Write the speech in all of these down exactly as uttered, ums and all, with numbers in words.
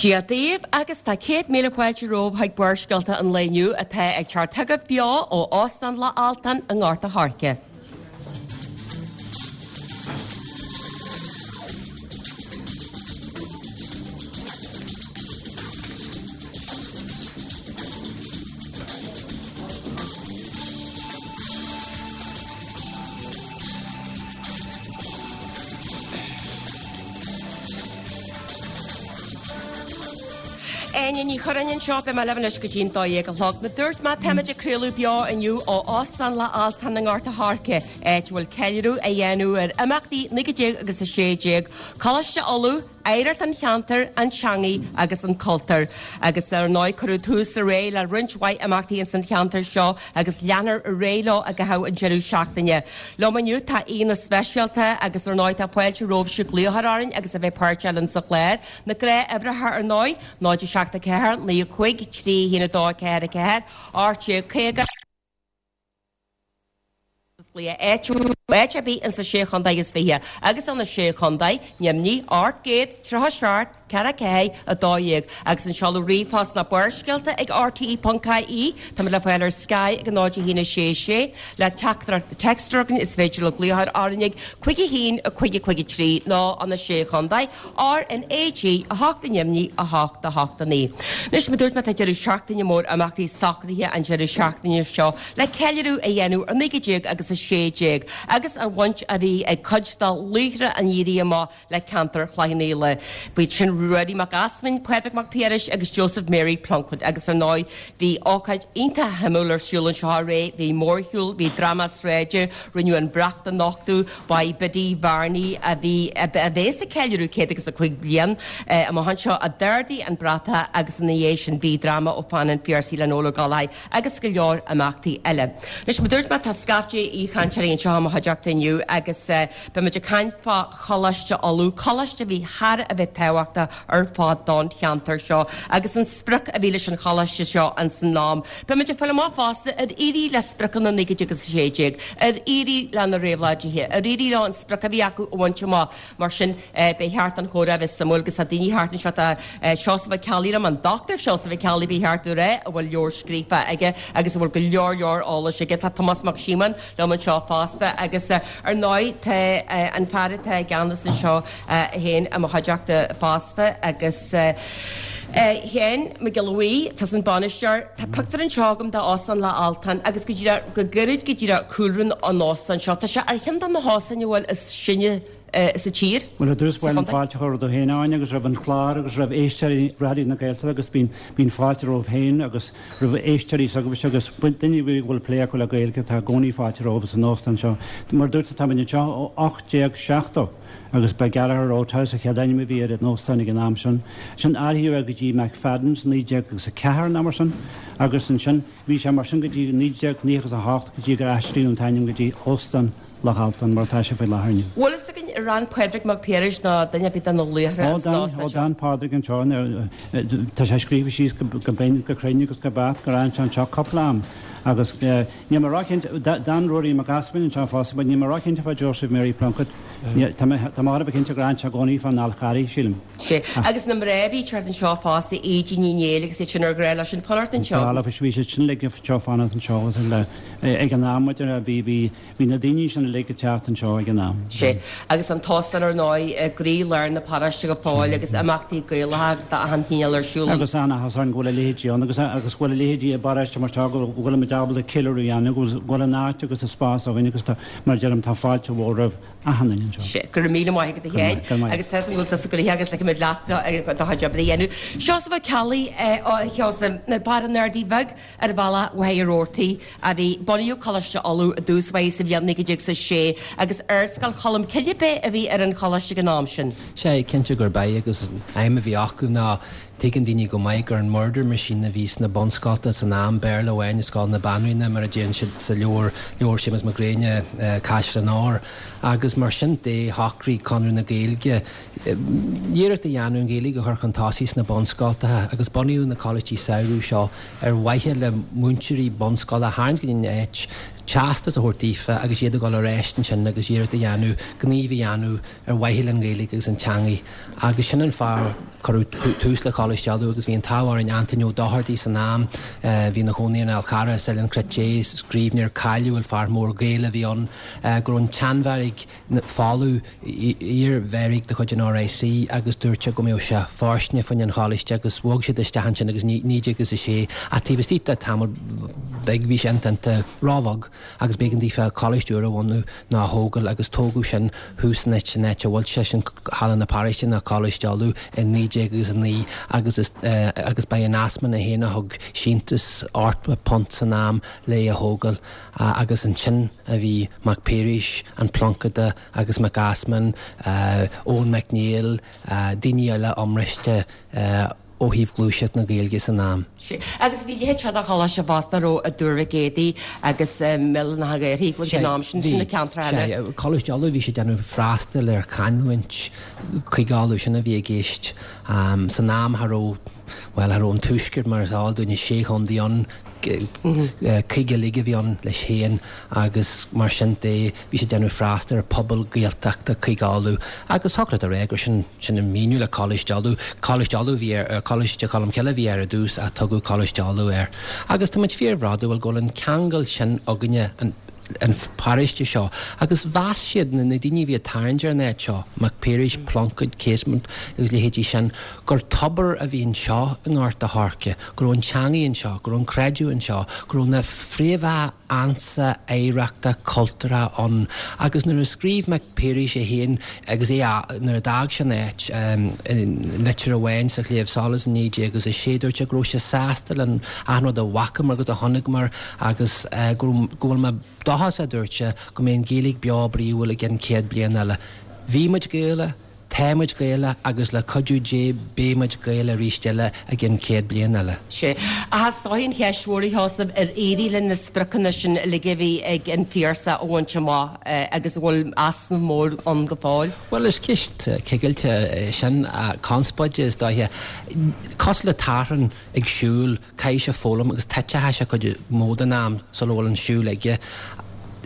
Dia daoibh agus tá céad míle fáilte romhaibh chuig Barrscéalta an lae inniu atá ag teacht chugaibh beo ó Óstán Loch Altan i nGort a' Choirce. Áine Ní Churráin anseo, beidh mé libh anois go dtí'n dó dhéag a chlog. Mar dúirt mé, táimid ag craoladh beo inniu ó Óstán Loch Altan i nGort a' Choirce, áit a bhfuil ceiliúradh á dhéanamh ar imeachtaí naoi déag agus a sé déag, Coláiste Uladh, Oidhreacht an Cheantair, an Teangaidh agus an Cultúr. Agus ar ndóigh cuireadh tús aréir le roinnt mhaith imeachtaí ins an cheantar seo agus leanfar ar aghaidh leo i gcaitheamh an deireadh seachtaine. Liom inniu tá aíonna speisialta agus ar ndóigh tá fáilte romhaibhse glaoch orainn agus a bheith páirteach linn sa chlár. Na gnáthuimhreacha ar ndóigh, náid a seacht a ceathair, naoi a cúig, trí a haon a dó a ceathair a ceathair, ocht déag caoga, áit áit ar bith insa sé chontae is fiche agus ó na sé chontae, Nimhní, ocht gcéad, tríocha seacht, ceathair ceathair, a dó dhéag, agus an seoladh ríomhphost ná Barrscéalta ag RTE ponc IE. Táimid le fáil ar Sky ag a náid a haon a sé sé. Le teachtaireacht téacs is féidir le glaoch orainn ag cúig a haon a cúig a cúig a trí nó ó na sé chontae R N A G a hocht i Nimhní a hocht a hocht a naoi. Anois mar dúirt mé tá deireadh seachtaine mór imeachtaí socraithe an deireadh seachtaine seo le ceiliúradh a dhéanamh ar naoi déag agus a sé déag agus an bhaint a bhí ag cuid de laochra an Éirí Amach le ceantar Chloich Cheann Fhaola. B'iad sin Ruairí Mac Easmainn, Pádraig Mac Piarais agus Joseph Mary Plunkett agus ar ndóigh bhí ócáid iontach shuimiúil ar siúl anseo aréir, bhí mórshiúl, bhí dráma sráide, rinneadh an brat a nochtadh, ba í Biddy Varney a bhí a bheas ag ceiliúradh céad agus a cúig bliain amach anseo a d'ardaigh an bratach agus ina dhiaidh sin bhí dráma ó pheann an Phiarsaigh le Noel Ó Gallchóir agus go leor imeachtaí eile. Anois mar dúirt mé tá scaifte aoichainteoirí anseo i mo chuideachta inniu agus beimid ag caint fá Choláiste Uladh, coláiste a bhí thar a bheith tábhachtach ar fad don cheantar seo agus an sprioc a bhí leis an choláiste seo ins an am. Beimid ag fáil amach fosta ar éirigh le spriocanna naoi déag agus a sé déag, ar éirigh le na réabhlóidithe, ar éirigh leo an sprioc a bhí acu a bhaint amach mar sin beidh ceart an chomhrá bheith suimiúil agus tá daoine thart anseo tá Seosamh Ó Ceallaigh liom an Dr Seosamh Ó Ceallaigh ba cheart domh a rá a bhfuil leabhar scríofa aige agus a bhfuil go leor leor eolais aige tá Tomás Mac Síomóin liom anseo fosta agus ar ndóigh tá an fear atá i gceannas anseo féin i mo chuideachta fosta agus Sheáin Mac Giolla Bhuí tá an bainisteoir Tá pictiúr anseo agam de Óstán Loch Altan agus go díreach go gairid go díreach cúlra an óstáin seo Tá sé ar cheann de na hóstáin a bhfuil is sine sa tír. Well ar dtús bhfuil fáilte chur do héáin agus roimh an chlár agus roimh éisteoirí Raidió na Gaeltachta agus bíonn bíonn fáilte romhaibh féin agus roimh éisteoirí agus agus duine bhfuil plé acu le Gaeilge tá i gcónaí fáilte romhaibh san óstán seo. Mar dúirt tá anseo ó ocht déag seachtó agus ba Gallagher Roadhouse a chéad ainm a bhí ar an óstán ag an am sin. Sin athraíodh go dtí McFadden's naoi déag agus a ceathair nó mar sin agus ansin bhí sé mar sin go dtí naoi déag naocha a hocht go dtí gur athraíodh an t-ainm go dtí Óstán Loch Altan mar tá sé faoi láthair. Bhfuil a fhios againn ar fhan Pádraig Mac Piarais nó duine ar bith de na laochra Ó d'fhan Pádraig anseo tá sé scríofa síos go binn go cruinn agus go beacht gur fhan sé anseo cúpla am agus níl mé róchinnte d'fhan Ruairí Mac Easmainn anseo fosta, níl mé róchinnte fá Joseph Mary Plunkett Tá mar a cinnte gur fhan sé i gcónaí fán Fhál Carrach sílim. Sé agus na mná a bhí thart anseo fosta Aedín Ní Néill agus iad sin ar ghnách leis an fanacht anseo. Bhí siad sin le seo fanacht anseo ag an am bhí bhí bhí na daoine sin le teacht anseo ag an am. Sé agus an t-óstán ar ndóigh i gcroílár na paróiste go fóill agus imeachtaí Gaelacha d'achan chineál ar siúl. Agus an-áthas orainn go bhfuil a leithéidí ann agus agus go bhfuil a leithéidí i bparóiste mar seo go bhfuil muid ábalta ceiliúradh a dhéanamh go bhfuil an áit agus an spás againn agus tá mar deirim tá fáilte mhór roimh achan duine anseo. Sé go raibh míle maith agat a Sheáin agus tá bhfuil tusa go agus le leat do chuid oibre a dhéanamh. Seosamh Ó Ceallaigh Sheosamh bar an Ardaí Bheag ar bhealach Mhachaire Rabhartaigh a bhí bunaíodh Coláiste Uladh i dtús báire sa bhliain naoi déag a sé agus Ardscoil Cholm Cille a bhí ar an choláiste ag an am sin. Sé cinnte gurb ea agus an aidhm a bhí acu ná tuigeann daoine go maith gur an murder machine a bhí sna bunscolta san am Béarla amháin i Scoil na Banríona mar a déan siad sa leabhar leabhar Séamus Mac Gréine Caiseal an Áir agus mar sin de shocraigh Conradh na Gaeilge iarracht a dhéanamh an Ghaeilge a chur chun tosaigh sna bunscoltacha agus bunaíodh na coláistí samhraidh seo ar mhaithe le múinteoirí bunscoile a tharraingt go dtí an áit teastas a thabhairt daofa agus iad ag dul ar ais ansin agus iarracht a dhéanamh gníomh a dhéanamh ar mhaithe leis an Ghaeilge agus an teangaidh agus sin an fáth Cuireadh tús le Coláiste Uladh agus bhí an t-ádh orainn Antaine Ó Dochartaigh san am, bhí ina chónaí ar an Fhál Carrach is Oileán Cruit, scríbhneoir cáiliúil, fear mór Gael a bhí ann, go raibh an tseanbheairic folamh, iar-bheairic de chuid an R I C, agus dúirt sé go mbeadh sé fóirsteanach fá choinne an choláiste agus bhog siad isteach ansin agus naoi déag agus a sé ach taobh istigh de tamall beag bhí sé ionta róbheag agus b'éigean daofa coláiste úr a bhunú nó a thógáil agus tógadh sin thuas san áit an áit a bhfuil sé sin Halla na Paróiste nó Coláiste Uladh i naoi déag agus a naoi agus is agus ba é an Easmainn é féin a thug síntiús ocht bpunt san am le é a thógáil agus ansin a bhí Mac Piarais, an Pluincéadach agus Mac Easmainn, Eoin Mac Néill, daoine eile iomráiteacha ó thaobh gluaiseacht na Gaeilge san am. Agus bhí leithéid seo de choláiste fosta raibh i dTuar Mhic Éadaigh agus mBéal an Átha Ghaorthaidh ag an am sin, sin na ceantracha eile. Coláiste Uladh bhí sé ag déanamh freastal ar chanúint Chúige Uladh, sin a bhí i gceist. San am cha raibh, bhuel, cha raibh an tuaisceart mar is eol dúinn, sé chontae ann, cúige uilig a bhí ann leis féin agus mar sin de bhí sé ag déanamh freastal ar phobal Gaeltachta Chúige Uladh agus thiocfadh leat a rá gur sin sin an míniú le Coláiste Uladh. Coláiste Uladh bhí ar Coláiste Cholm Cille a bhí air ar dtús ach tugadh Coláiste Uladh air. Agus tá muid fíorbhródúil go bhfuil an ceangal sin againne an an paróiste seo agus mheas siad na na daoine a bhí ag tarraingt ar an áit seo, Mac Piarais, Pluincéad, Casement agus leithéidí sin, gur tobar a bhí anseo i nGort a' Choirce, go raibh an teangaidh anseo, go raibh an creideamh anseo, go raibh na fréamhacha ansa oidhreachta cultúrtha ann. Agus nuair a scríobh Mac Piarais é féin agus é nuair a d'fhág sé an áit i litir amháin sa Chléibh Solas i naoi déag agus a sé dúirt sé go raibh sé sásta le achan rud a bhfacamar agus a chonaiceamar agus go go bhfuil mé dóchasach a dúirt sé go mbeidh an Ghaeilge beo bríomhar i gcionn céad bliain eile. Bhí muid Gaelach, tá muid Gaelach agus le cuidiú Dé beidh muid Gaelach arís eile i gcionn céad bliain eile. Sea. Ach is dóigh an cheist mhór a Sheosaimh ar éirigh linn na spriocanna sin uilig a bhí ag an Phiarsach a bhaint amach agus an bhfuil easnamh mór ann go fóill? Bhuel is ceist cigilte sin conspóide is dóiche. Cosúil le tachrán ag siúl, caithfidh sé foghlaim agus titfidh sé cuid mhór den am sula bhfuil an siúl aige.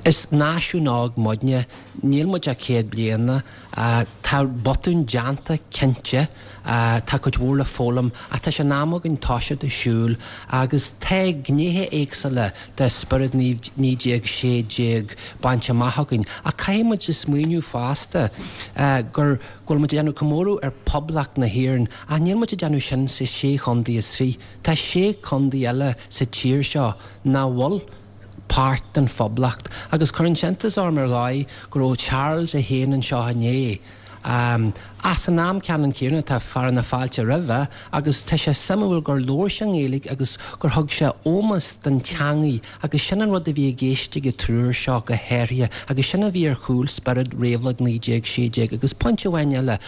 Is náisiún óg muidne, níl muid ach céad bliana, tá botún déanta cinnte, tá cuid mhór le foghlaim ach tá sé in am againn toiseacht ag siúl agus tá gnéithe éagsúla de spiorad naoi déag sé déag bainte amach againn ach caithfidh muid smaoineamh fosta gur go bhfuil muid ag déanamh comóradh ar Poblacht na hÉireann ach níl muid ag déanamh sin sa sé chontae is fiche. Tá sé chontae eile sa tír seo nach bhfuil páirt den phoblacht agus cuireann sé iontas orm ar dhóigh go raibh Charles a haon anseo inné. Um, as an am ceannann céanna tá fear na fáilte roimhe agus tá sé suimiúil gur labhair sé i nGaeilge agus gur thug sé ómós don teangaidh agus sin an rud a bhí i gceist ag an triúr seo go háirithe agus sin a bhí ar chúl spiorad réabhlóid naoi déag sé déag agus pointe amháin eile.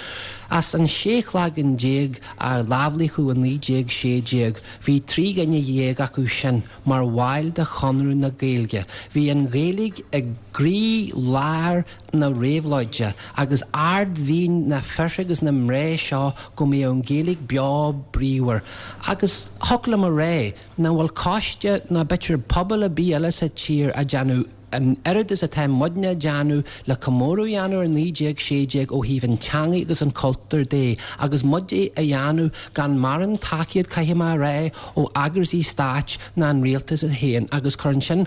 As an sé cloigeann déag a lámhlíochadh i naoi déag sé déag, bhí trí dhuine dhéag acu sin mar bhaill de Chonradh na Gaeilge. Bhí an Ghaeilge i gcroílár na réabhlóide agus ardmhian na bhfear agus na mná seo go mbeadh an Ghaeilge beo bríomhar. Agus thiocfadh liom a rá nach bhfuil coiste ná b'fhéidir pobal ar bith eile sa tír a déanamh an oiread is atá muidne déanamh le comóradh a dhéanamh ar naoi déag sé déag ó thaobh an teangaidh agus an cultúr de agus muid a dhéanamh gan mórán tacaíocht caithfidh mé a rá ó eagraisí stáit ná an rialtas é féin agus cuireann sin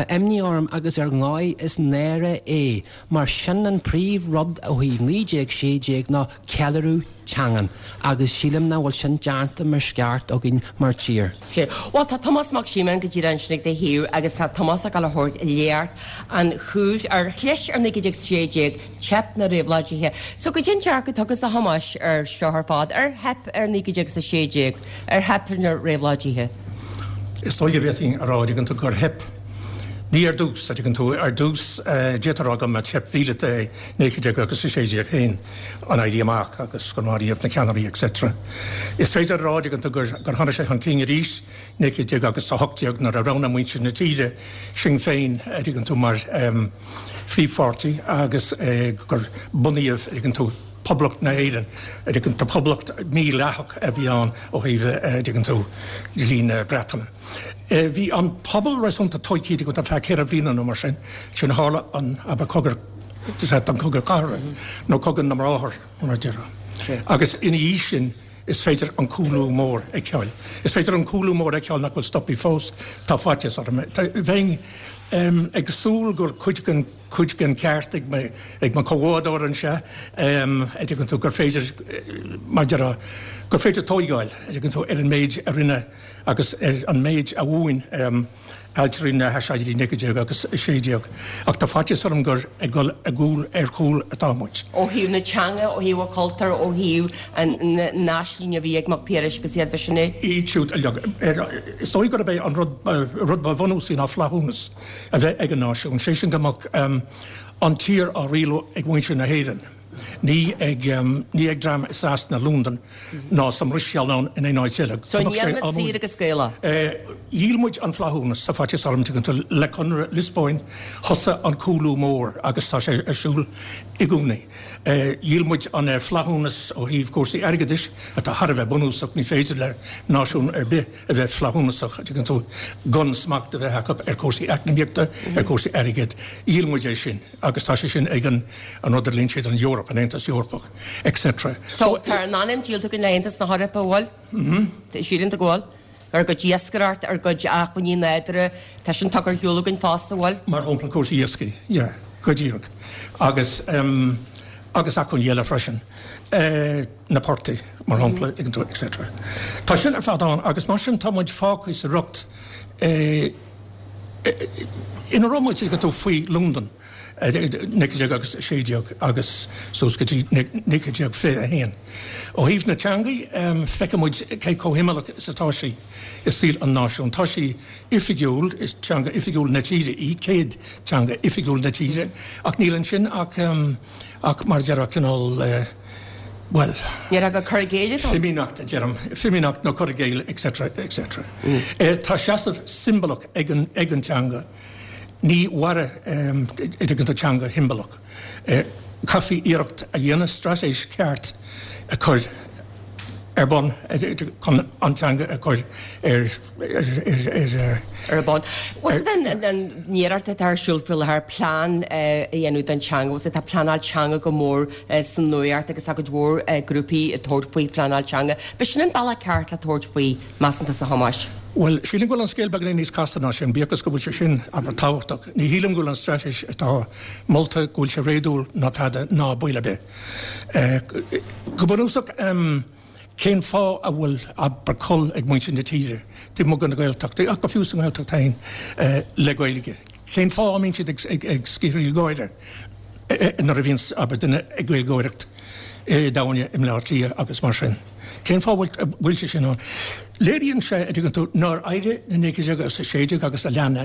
imní orm agus ar ndóigh is náire é mar sin an príomhrud ó thaobh naoi déag sé déag ná ceiliúradh teangan agus sílim nach bhfuil sin déanta mar is ceart againn mar tír. Well tá Tomás Mac Síomóin go díreach ansin ag do thaobh agus tá Tomás ag dul a thabhairt léacht an chúis ar chlis ar naoi déag sé déag teip na réabhlóidithe. So goidé an dearcadh atá agat a Thomáis ar seo ar fad ar theip ar naoi déag a sé déag ar theip na réabhlóidithe. Is dóigh go bhféadfainn a rá an tú gur theip. Ní ar dtús a tú ar dtús d'fhéadfá a rá go mba teip mhíleata é naoi déag agus a sé déag féin an éirí amach agus gur maraíodh na ceannairí et cetera. Is féidir a rá an tú gur gur tháinig sé chun cinn arís naoi déag agus a hocht déag nuair a roghnaigh muintir na tíre Sinn Féin ar an tú mar um, phríomhpháirtí agus uh, gur bunaíodh ar an tú Poblacht na hÉireann ar an tá poblacht mídhleathach a bhí ann ó thaobh an tú dlí na Breataine. Bhí an pobal réasúnta tóigthe go feadh ceithre bliana nó mar sin sin tharla an aber cogadh an cogadh cathartha nó cogadh na mBráthar mar a deirtear. Agus ina dhiaidh sin is féidir an cúlú mór a fheiceáil. Is féidir an cúlú mór a fheiceáil nach bhfuil stoptha fós, tá faitíos orm. Bheinn ag súil gur cuid den cuid den ceart ag mo ag mo chomhbhádóir anseo a dtuigeann tú gur féidir mar a déarfá gur féidir tóigeáil a dtuigeann tú ar an méid a rinne agus ar an méid a mhúin ailtirí na haiséirí naoi déag agus a sé déag. Ach tá faitíos orm gur ag dul i gcúl ar chúl atá muid. Ó thaobh na teanga, ó thaobh an chultúir, ó thaobh an n-aisling a bhí ag Mac Piarais agus iad sin é. Iad siúd uilig. Is dóigh gurb é an rud rud ba bhunúsaí ná flaithiúnas a bheith ag an náisiún, sé sin go mbeadh an tír á rialú ag muintir na hÉireann. Ní ag ní ag dream i Sasana, Londain ná sa mBruiséil ná in aon áit eile. So ní muid saor agus Gaelach? Dhíol muid an flaithiúnas tá faitíos orm tuigeann tú le Conradh Liospóin thosaigh an cúlú mór agus tá sé ar siúl i gcónaí. Dhíol muid an flaithiúnas ó thaobh cúrsaí airgeadais atá thar a bheith bunúsach, ní féidir le náisiún ar bith a bheith flaithiúnasach tuigeann tú gan smacht a bheith acu ar chúrsaí eacnamaíochta, ar chúrsaí airgid. Dhíol muid é sin agus tá sé sin ag an an rud a glaonn siad an Eoraip, an Aontas Eorpach, et cetera So tá ár n-anam díolta againn le hAontas na hEorpa, bhfuil? Sílim go bhfuil. Ar gcuid iascaireacht, ar gcuid acmhainní nádúrtha, tá sin tugtha ar shiúl againn fosta, bhfuil? Mar shampla cúrsaí iascaigh, yeah, go díreach. Agus um, agus acmhainní eile freisin. Uh, na portaigh, mar shampla, et cetera. Tá sin ar fad ann agus mar sin tá muid fágtha sa riocht uh, ina raibh muid go faoi Londain. Naoi déag agus sé déag agus suas go dtí naoi déag fiche a haon. Ó thaobh na teangaí feicfidh muid cé chomh himeallach is atá sí i saol an náisiún. Tá sí oifigiúil, is teanga oifigiúil na tíre í, céad teanga oifigiúil na tíre, ach níl ansin ach ach mar deir cineál well Ní go cur géile Fimíneacht, deirim, fimíneacht nó cur géile, et cetera et cetera. Mm. Tá seasamh siombalach ag an ag an teanga. Ní mhairfidh idir an teanga shiombalach. Caithfidh iarracht a dhéanamh straitéis ceart a chur ar bun chun an teanga a chur ar ar bun. An iarracht atá ar siúl faoi láthair plean a dhéanamh don teanga, tá pleanáil teanga go mór san nuacht agus a cuid mhór grúpaí ag tabhairt faoi phleanáil teanga. B'é sin an bealach ceart le tabhairt faoi, measann tú, a Thomáis. Well, sílim go bhfuil an scéal beagáinín níos casta ná sin, bíodh go bhfuil sé sin aber tábhachtach. Ní shílim go bhfuil an straitéis atá molta go bhfuil sé réadúil ná tada ná baol ar bith. Go bunúsach um, cén fáth a bhfuil aber col ag muintir na tíre, Tí mu na Gaeltachta ach go fiú san Ghaeltacht féin le Gaeilge. Cén fáth a mbíonn siad ag, ag, ag sciorraíl gáire nuair a bhíonn aber duine ag Gaeilgeoireacht daine i mBleá Cliath agus mar sin. Cén fáth bhfuil sé sin ann? Léiríonn sé a dtuigeann tú nár éirigh na naoi déag agus a sé déag agus a lean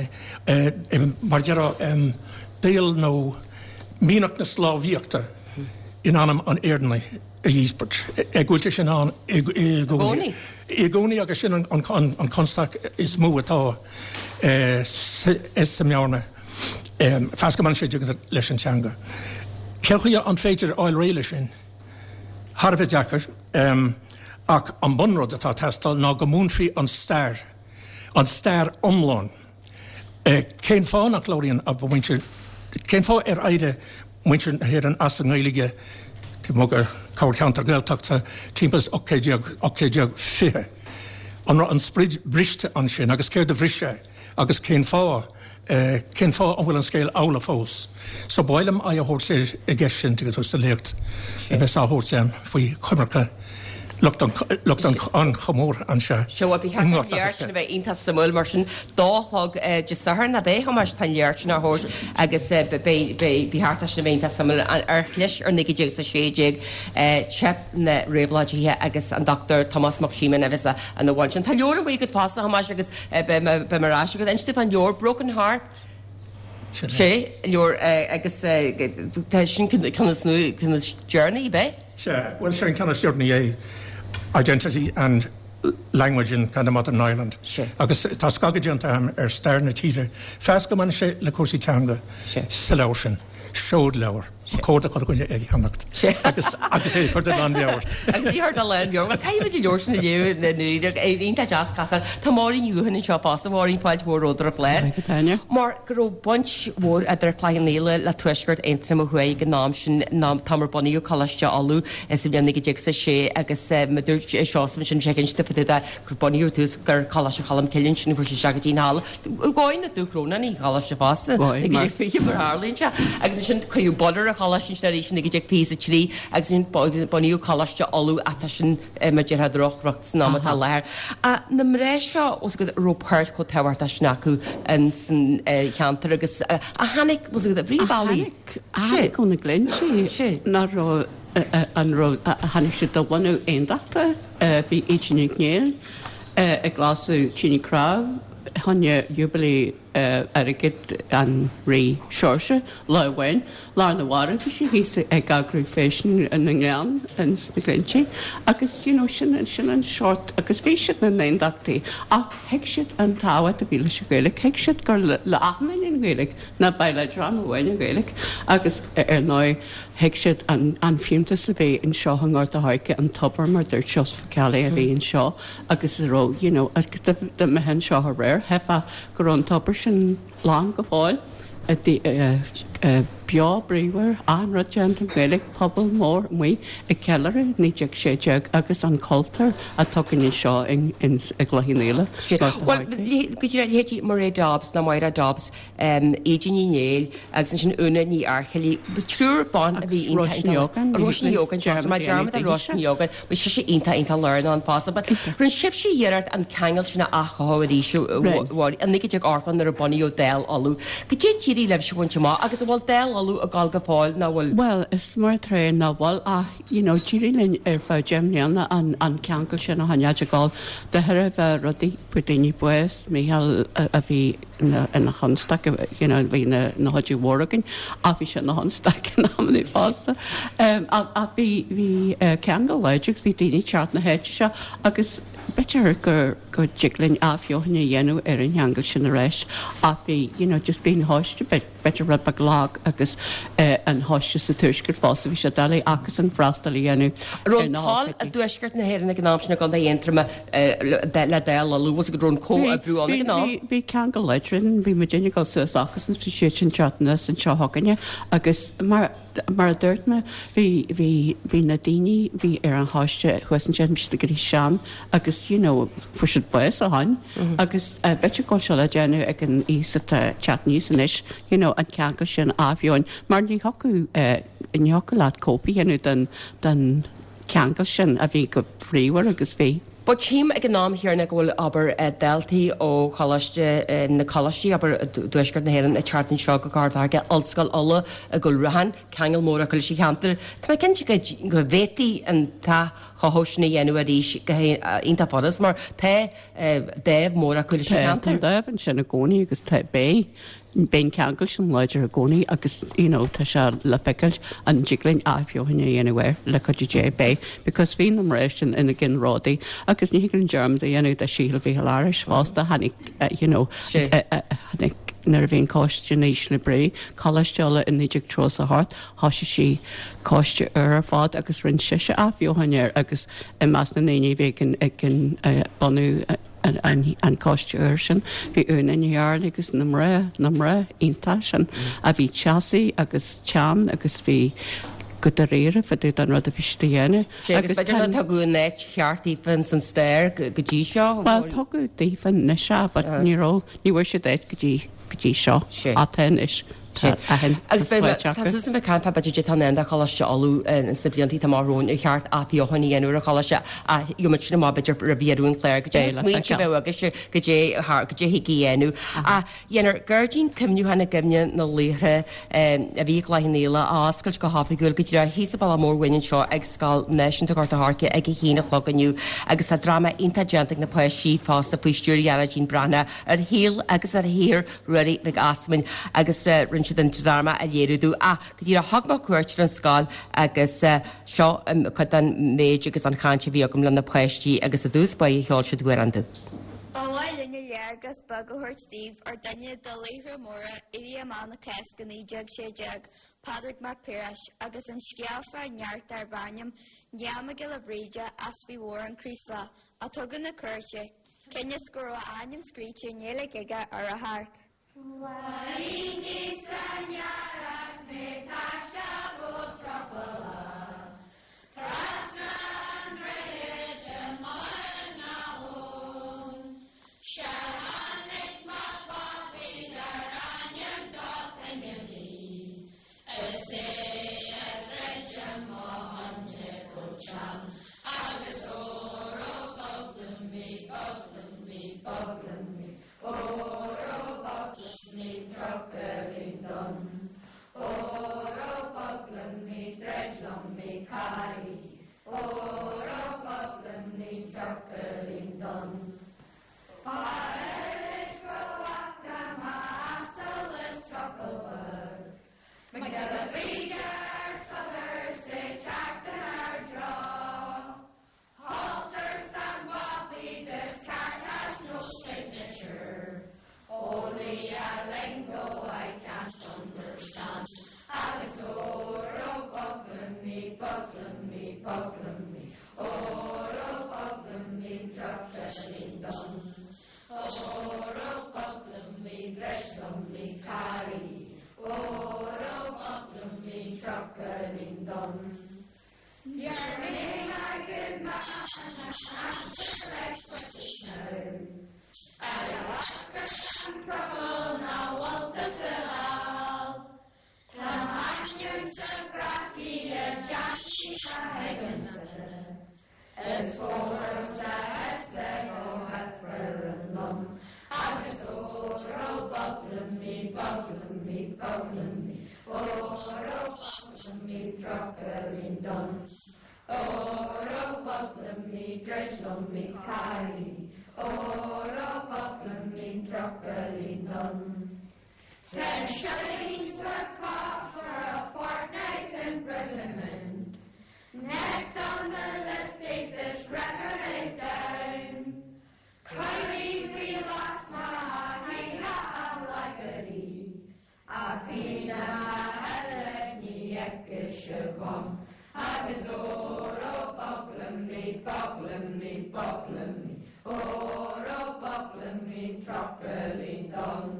mar deir daol nó mianach na sclábhaíochta in anam an Éireannaigh a dhíbirt. Ag bhfuil sin ann i gcónaí. I gcónaí agus sin an, an, an constaic is mó atá sa mbearna. Feas go sé leis an teanga. Cén chaoi an féidir fháil réidh leis sin? Thar a bheith deacair um, ach an bunrud atá teastáil ná go múinfí an stair, an stair iomlán. E, cén fáth nach labhraíonn a muintir cén fáth ar éirigh muintir na hÉireann as an nGaeilge mo corrcheantar Gaeltachta timpeall ocht fiche. An raibh an sprid briste ansin agus céard a bhris é agus cén fáth cén fáth an bhfuil an scéal amhlaidh fós. So b'fhéidir é a thabhairt i gceist sin tú sa léacht a bheas á thabhairt faoi choimirce lucht an chomórtha anseo. Seo bhí léir bheith iontach suimiúil mar sin dá chlog Dé Sathairn a bheidh Tomás tá léir sin á thabhairt agus bhí thart sin bheith iontach suimiúil ar chlis ar naoi déag a sé déag teip na réabhlóidithe agus an Doctor Tomás Mac Síomóin a bheas ina bhun sin. Tá leabhar an go fásta Tomás agus be mar ás agus inste an leabhar Broken Harp. Sé leabhar agus tá sin ceann is deireanaí be? Se, well sin ceann is deireanaí é Identity and Language in kind of Modern Ireland. Sure. Agus tá scagadh déanta agam ar stair na tíre. Feas go mbaineann sé le cúrsaí teanga sa leabhar sin, seod leabhar. Ba chóir do chuile dhuine é a cheannacht agus agus é a chur de lánmheabhair. Agus í a chur de lánmheabhair. Bhuel, caithfidh muid an leabhar sin a léamh i ndáiríre. Iontach deas casadh. Tá Máirín Ní Dhubhchon anseo fosta. Máirín, fáilte mhór romhat ar an chlár. Maith agat, Áine. Mar go raibh baint mhór idir Cloich Cheann Fhaola le Tuaisceart Aontroma Thuaidh ag an am sin, an t-am ar bunaíodh Coláiste Uladh sa bhliain naoi déag is a sé agus mar a dúirt Seosamh ansin sé cinnte fá dtaobh de gur bunaíodh ar dtús gur Coláiste Cholm Cille ansin a fuair siad isteach go dtí an halla. Dhóigh na Dúchrónáin an choláiste fosta, naoi déag fiche mar a tharlaíonn sé. Agus ansin cuireadh bun ar an choláiste ansin arís i naoi déag fiche is a trí agus ansin bunaíodh Coláiste Uladh atá sin mar a déarfá droch-riocht san am atá i láthair. Na mná seo os go raibh páirt chomh tábhachtach sin acu in san cheantar agus a tháinig os go bhrí bealaí. A tháinig ó na Glinntí nach raibh an raibh tháinig siad de bhunadh aondachta bhí Íde Nic Néill ag lasadh tine cnámh choinne Jubilee airgid an Rí Seoirse lá amháin. Lá arna mhárach bhí sí thíos ag eagrú feiseanna na nGleann ins na Glinntí agus you know sin sin an seort agus bhí siad ina n-aondachtaí ach thuig siad an tábhacht a bhí leis an Ghaeilge, thuig siad gur le achan duine an Ghaeilge ná ba le dream amháin an Ghaeilge agus ar ndóigh thuig siad an an fiúntas a bhí anseo i nGort a' Choirce, an tobar mar dúirt Seosamh Ó Ceallaigh a bhí anseo agus a raibh you know dá mbeifeá anseo aréir cheapfá go raibh an tobar sin lán go fóill, beo bríomhar, achan rud déanta i nGaeilge, pobal mór amuigh ag ceiliúradh naoi déag sé déag agus an cultúr atá againn anseo i gCloich Cheann Fhaola. Bhuel, go díreach, leithéidí Mairéad Dobbs nó Máire Dobbs, Íde Ní Néill agus ansin Úna Ní Fhaircheallaigh, triúr ban a bhí iontach, Agus Róise Ní Ógáin. Róise Ní Ógáin, tá mé dearmad ar Róise Ní Ógáin. Bhí sise iontach iontach lárnach ann fosta. But rinne sibhse iarracht an ceangal sin a athchothú arís i naoi déag ochtó nuair a bunaíodh Dáil Uladh. Goidé d'éirigh libhse a bhaint amach agus an bhfuil Dáil Uladh ag dul go fóill nó bhfuil? Bhuel, is mar atá nach bhfuil ach you know d'éirigh linn ar feadh deich mbliana an an ceangal sin a choinneáil ag dul de thairbhe rudaí fuair daoine bás, Mícheál a bhí ina chonstaic you know bhí ina chuidiú mhór againn ach bhí sé ina chonstaic in amannaí fosta. Ach bhí bhí ceangal láidir agus bhí daoine ag teacht na háite seo agus b'fhéidir gur go dtig linn athbheochan a dhéanamh ar an cheangal sin arís ach bhí you know just bhí an choiste b'fhéidir rud beag lag agus an choiste sa tuaisceart fosta bhí sé doiligh acusan freastal a dhéanamh ar na hócáidí. An raibh toil i dtuaisceart na hÉireann ag an am sin i gContae Aontroma le Dáil Uladh agus go raibh an comhoibriú ann ag an am? Bhí, bhí ceangal láidir ann, bhí muidinne ag dul suas acusan, bhí siad sin teacht anuas anseo chugainne agus mar mar a dúirt mé, bhí, bhí, bhí na daoine bhí ar an choiste thuas ansin, bhí siad ag éirí sean agus you know fuair siad bás ó shin agus b'fhéidir go bhfuil sé le déanamh ag an aos atá ag teacht aníos anois you know an ceangal sin a athbheochan mar ní thiocfadh, ní thiocfadh leat cóip a dhéanamh den, den cheangal sin a bhí go bríomhar agus bhí. But tchím ag an am chéanna go bhfuil, abair, daltaí ó choláiste, na coláistí, abair, i dtuaisceart na hÉireann ag teacht anseo go Gort a' Choirce, Ollscoil Uladh i gCúil Raithin, ceangal mór acu leis an cheantar. Tá mé cinnte go go bhféadfaí an t-athchothú sin a dhéanamh arís go hiontach furast mar tá dáimh mór acu leis an Tá, tá cheantar. an dáimh ansin i gcónaí agus tá, beidh. Beidh an ceangal sin láidir i gcónaí agus you know tá sé le feiceáil an dtig linn athbheochan a dhéanamh air le cuidiú Dé beidh because bhí na mná sin ina gceannródaí agus ní thig linn dearmad a dhéanamh de Shíle Mhíchíl Fhearais fosta tháinig you know tháinig nuair a bhí an coiste in ísle brí, Coláiste Uladh i naoi déag tríocha is a hocht thosaigh sí coiste úr ar fad agus rinne sise athbheochan air agus i measc na ndaoine a bhí ag an ag an bunú an coiste úr sin. Bhí Úna Ní Fhearghail agus na mná, na mná iontach sin a bhí teasaí agus teann agus bhí go dáiríre fá dtaobh den rud a bhí siad a dhéanamh. Sé agus b'fhéidir nár tugadh an áit cheart daofa ins an stair go dtí seo. Bhuel, tugadh daofa anois é but ní raibh, ní bhfuair siad áit go dtí, go dtí seo. Sé. Ach tá anois. Tá aithin Agus agus fáilte tá acu. Susan ag caint fá b'fhéidir tá in do Choláiste Uladh sna blianta atá amach romhainn ar cheart athbheochan a dhéanamh ar an choláiste ach gheobhaidh muid sin amach b'fhéidir roimh dheireadh an chláir goidé Beidh na le smaointe a feiceáil. bheadh agaibhse goidé goidé thig a dhéanamh. Ach dhéanfar gairdín cuimhneacháin i gcuimhne na laochra a bhí i gCloich Cheann Fhaola a oscailt go hoifigiúil go díreach thíos an bealach mór uainn anseo ag Scoil Náisiúnta Ghort a' Choirce ag a haon a chlog inniu agus tá dráma iontach déanta ag na páistí fosta faoi stiúir Ghearóidín Breathnach ar shaol agus ar shaothar Ruairí Mhic Easmainn agus rinne siad an dráma a léiriú dúinn. Ach go díreach thug mé cuairt ar an scoil agus seo cuid den méid agus an chaint a bhí agam le na páistí agus i dtús báire cheol siad amhrán dúinn. Ba mhaith linn léargas beag a thabhairt daoibh ar duine de laochra móra Éirí Amach na Cásca naoi déag sé déag, Pádraig Mac Piarais agus an scéal fá neart darb ainm Niall Mac Giolla Bhríde as Faoi Mhór an Chraoslaigh a tugadh na cúirte, cionn is go raibh a ainm scríte i nGaeilge aige ar a chárta. Bhaini sanyaras me tasha go trapala Trasna andreje mana hon Shahanik mapapi daranyam dotanyami Ese adreje mohanye kocham Agus oro boglami boglami boglami Oro boglami trokelindon Oro boglami dredglami cari Oro boglami trokelindon Paerit goaka ma asalis trokelbug Magella Bríde Southern se teachtain ar draw Halter San Bobby, this card has no signature. Only a lingo I can't understand. Agus oro boglami, boglami, boglami. Oro boglami, trokelindon. Oro boglami, dredglami, cari. Oro boglami, trokelindon. You're me my good man, answer it quickly now. I and trouble now what does it all? Tamanion sa braki a Johnny a Higginson. It's for sa hesse go hefferlum. Agus oro boglami, boglami, boglami. Oro boglami, trokelindon. Oro boglami, dredglami, cari. Oro boglami, trokelindon. Ten shillings the cost for a fortnight's imprisonment. Next on the list, take this record down. Curry we lost my hina alagari. A pina helekniekishabum. Agus oro boglami, boglami, boglami. Oro boglami, trokelindon.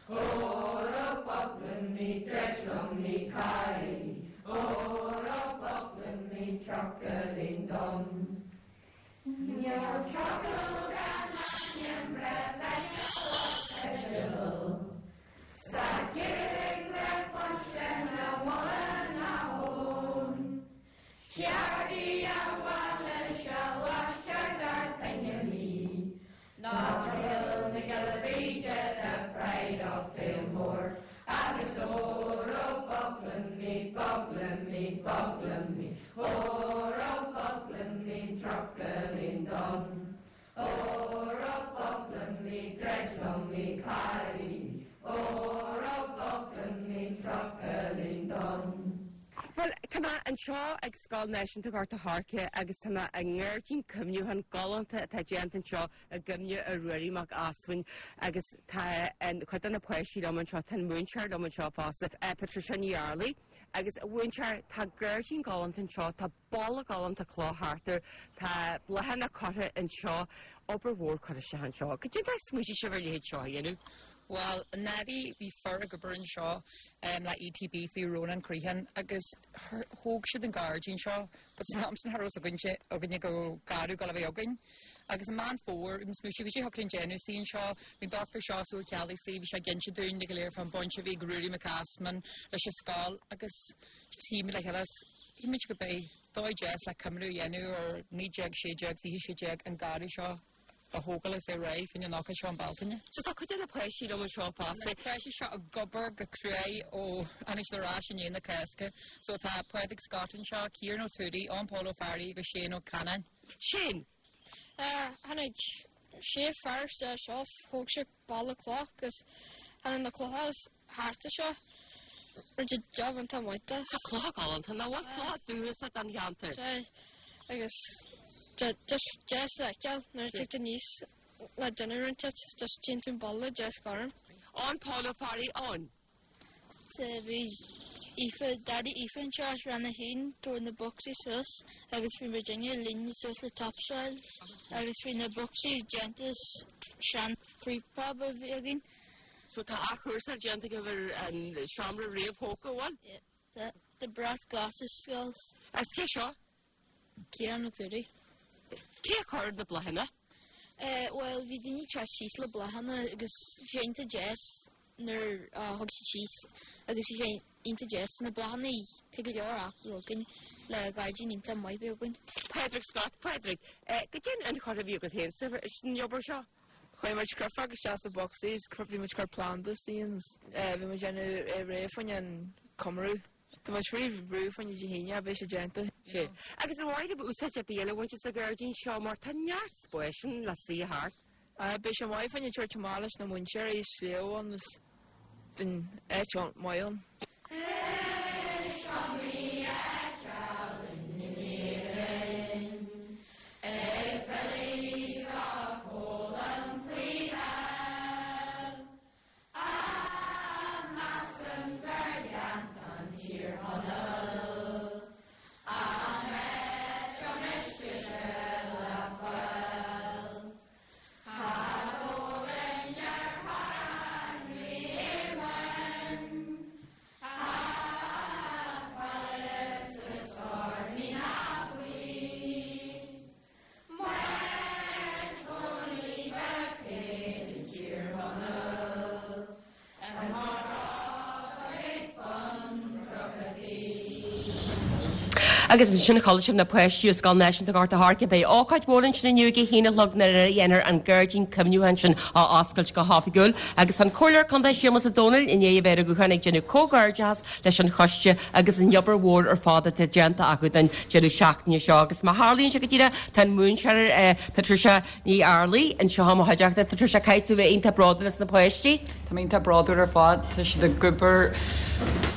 Oro boglami, dredglami, cari. Oro boglami, trokelindon. Níl trucail gan ainm breath Sa gig le cluinsten na bhla na hón. Ceardaí a bhaile se laistear dar tine mí. Ná trucail Mac Giolla Bhríde the pride of Fillmore. Agus oro boglami, boglami, boglami. Oro boglami, trokelindon. Oro boglami, dredglami, cari. Oro boglami, trokelindon. Well, tá mé anseo ag Scoil Náisiúnta Ghort an Choirce agus tá mé i ngairdín cuimhneacháin galánta atá déanta anseo i gcuimhne ar Ruairí Mac Easmainn agus tá cuid de na páistí liom anseo tá múinteoir liom anseo fosta Patricia Ní Fhearlaigh agus mhúinteoir tá gairdín galánta anseo tá balla galánta cloch thart air tá bláthanna curtha anseo obair mhór curtha isteach anseo. Cad é smaointigh sibh ar leithéid seo a dhéanamh? Well, anuraidh bhí fear ag obair anseo um, le ETB faoi Ronan Crehan agus thóg siad an gairdín seo, but san am sin cha raibh againne againne go garú go a bheith againn. Agus an Meán Fómhair smaointigh go dtí thug déanú sí seo, bhí Dr. Seosamh Ó Ceallaigh bhí sé ag inse dúinn go léir fan baint a bhí ag Ruairí Mac Easmainn leis an scoil agus just shíl muid le chéile shíl muid go bé dóigh deas le cuimhniú a dhéanamh ar naoi déag sé déag fiche sé déag an garraí seo a thógáil is bheith réidh faoin an ócáid seo an Bealtaine. So tá cuid de na páistí liom anseo fosta. Páistí seo ag obair go cruaidh ó tháinig siad ar ais i ndiaidh na Cásca, so tá Pádraig Scott anseo, Ciarán Ó Tuairí, Eoin Pól Ó Fearraigh agus Shane Ó Canáin. Shane! Tháinig sé fear seo thóg sé balla cloch agus tháinig na clocha thart seo rinne job an tá maith Tá clocha galánta ná bhfuil clocha dúchasach don cheantar. agus just deas le feiceáil nuair a tig níos le déanamh roinnt just tínn balla deas gorm. Eoin Pól Ó Fearraigh ann. Bhí Aoife Daddy Aoife anseo as Rang a haon tabhair na bocsaí suas agus bhí muidinne líonadh suas le topsoil agus bhí na bocsaí déanta as sean prefab a bhí againn. So tá athchúrsáil déanta agaibh ar an seomra réamhthógtha, an bhfuil? Yeah. The brat glas skulls. Is cé seo? Ciarán Ó Tuairisg. Cé a chuir na bláthanna? Eh, well, bhí daoine teacht síos le bláthanna agus bhí sé iontach deas nuair a thug siad síos agus bhí sé iontach deas na bláthanna tá go leor acu againn le gairdín iontach maith bheith againn. Pádraig Scott, Pádraig, eh, goidé an tionchar a bhí agat féin sa san obair seo? Chuir muid créafog isteach sa bocsaí, bhí muid cur planda síos, bhí muid déanamh réidh fá choinne an comóradh. Tá muid faoi bhrú fá choinne Dé hAoine, beidh sé déanta. Sé. Agus ar mhaith libh úsáid ar bith eile a bhaint as an ghairdín seo mar tá neart spáis ann le suí thart. Beidh sé maith fá choinne tabhairt amach leis na múinteoirí sliabh ann is den áit maith ann. Agus ansin chuala sibh na páistí ó Scoil Náisiúnta Ghort a' Choirce. Beidh ócáid mhór ansin inniu ag a haon a chlog nuair a dhéanfar an gairdín cuimhneacháin sin a oscailt go hoifigiúil. Agus an Comhairleoir Contae Séamus Ó Domhnaill i ndiaidh a bheith ar an ghuthán ag déanamh comhghairdeachas leis an choiste agus an obair mhór ar fad atá déanta acu don deireadh seachtaine seo. Agus mar a tharlaíonn sé go díreach tá an múinteoir Patricia Ní Fhearlaigh anseo i mo chuideachta. Patricia, caithfidh tú bheith iontach bródúil as na páistí. Tá mé iontach bródúil ar fad. Tá siad ag obair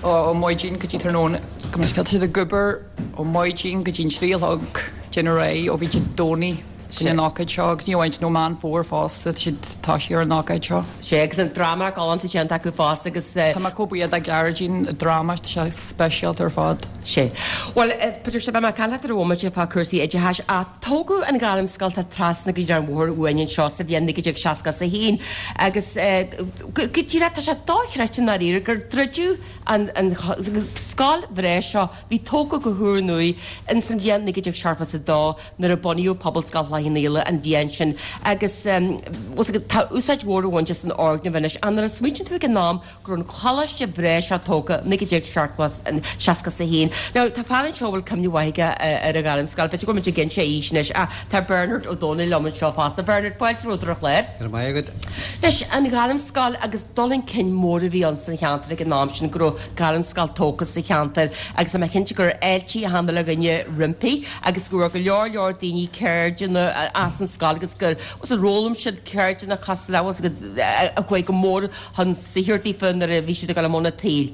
ó maidin go dtí tráthnóna. Go Tá siad ag obair ó maidin go dtí an trí a chlog déanamh réidh ó bhí Dé Domhnaigh go an ócáid seo agus ní amháin nó Meán Fómhair fosta tá siad tá sí ar an ócáid seo. Sé agus an dráma galánta déanta acu fosta agus Tá mé chomh buíoch de ghairdín dráma tá sé speisialta ar fad. Sé. Well, Patricia, beidh mé ag caint leat ar an bhomaite fá cúrsaí oideachais ach tógadh an Ghairmscoil atá trasna go dtí an bhóthar uainn anseo sa bhliain naoi déag seasca is a haon agus go díreach tá sé dochreidte i ndáiríre gur druideadh an an scoil bhreá seo bhí tógtha go húrnua ins an bhliain naoi déag seachtó is a dó nuair a bunaíodh Pobalscoil Chloich Cheann Fhaola an bhliain sin agus tá úsáid mhór á bhaint as an fhoirgneamh anois. Ach nuair a smaoitíonn tú ag an am go raibh an choláiste breá seo tógtha naoi déag seasca is a haon. Now tá fear anseo a bhfuil cuimhne mhaith aige ar an Ghairmscoil, b'fhéidir go bhfuil muid ag inse aois anois ach tá Bernard Ó Dónaill liom anseo fosta. Bernard, fáilte romhat ar an chlár. Go raibh maith agat. Anois, an Ghairmscoil agus dul chun cinn mór a bhí ann san cheantar ag an am sin go raibh Gairmscoil tógtha sa cheantar agus tá mé cinnte gur fháiltigh achan uile dhuine roimpi agus go raibh go leor leor daoine ceirdeanna as an scoil agus gur fhoghlaim siad ceirdeanna cosúil le a chuaigh go mór chun saothair daofa nuair a bhí siad ag dul i mbun an tsaoil.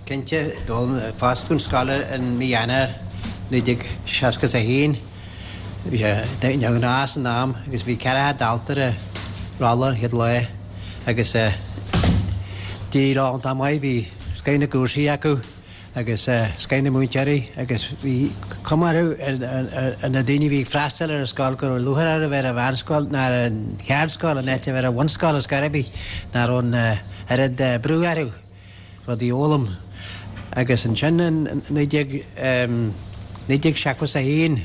Cinnte, d'fhoscail an scoil in mí Eanáir naoi déag seasca is a haon. Bhí sé neamhghnách san am agus bhí ceathracha dalta ar an rolla an chéad lá agus d'éirigh leo iontach maith. Bhí scoth na gcúrsaí acu agus scoth na múinteoirí agus bhí cuma orthu ar na daoine a bhí ag freastal ar an scoil go raibh lúcháir orthu bheith ar an mheánscoil ná ar an cheardscoil in áit a bheith ar an bhunscoil ar scor ar bith, nach raibh an oiread brú orthu rudaí a fhoghlaim. Agus ansin in naoi déag naoi déag seachtó is a haon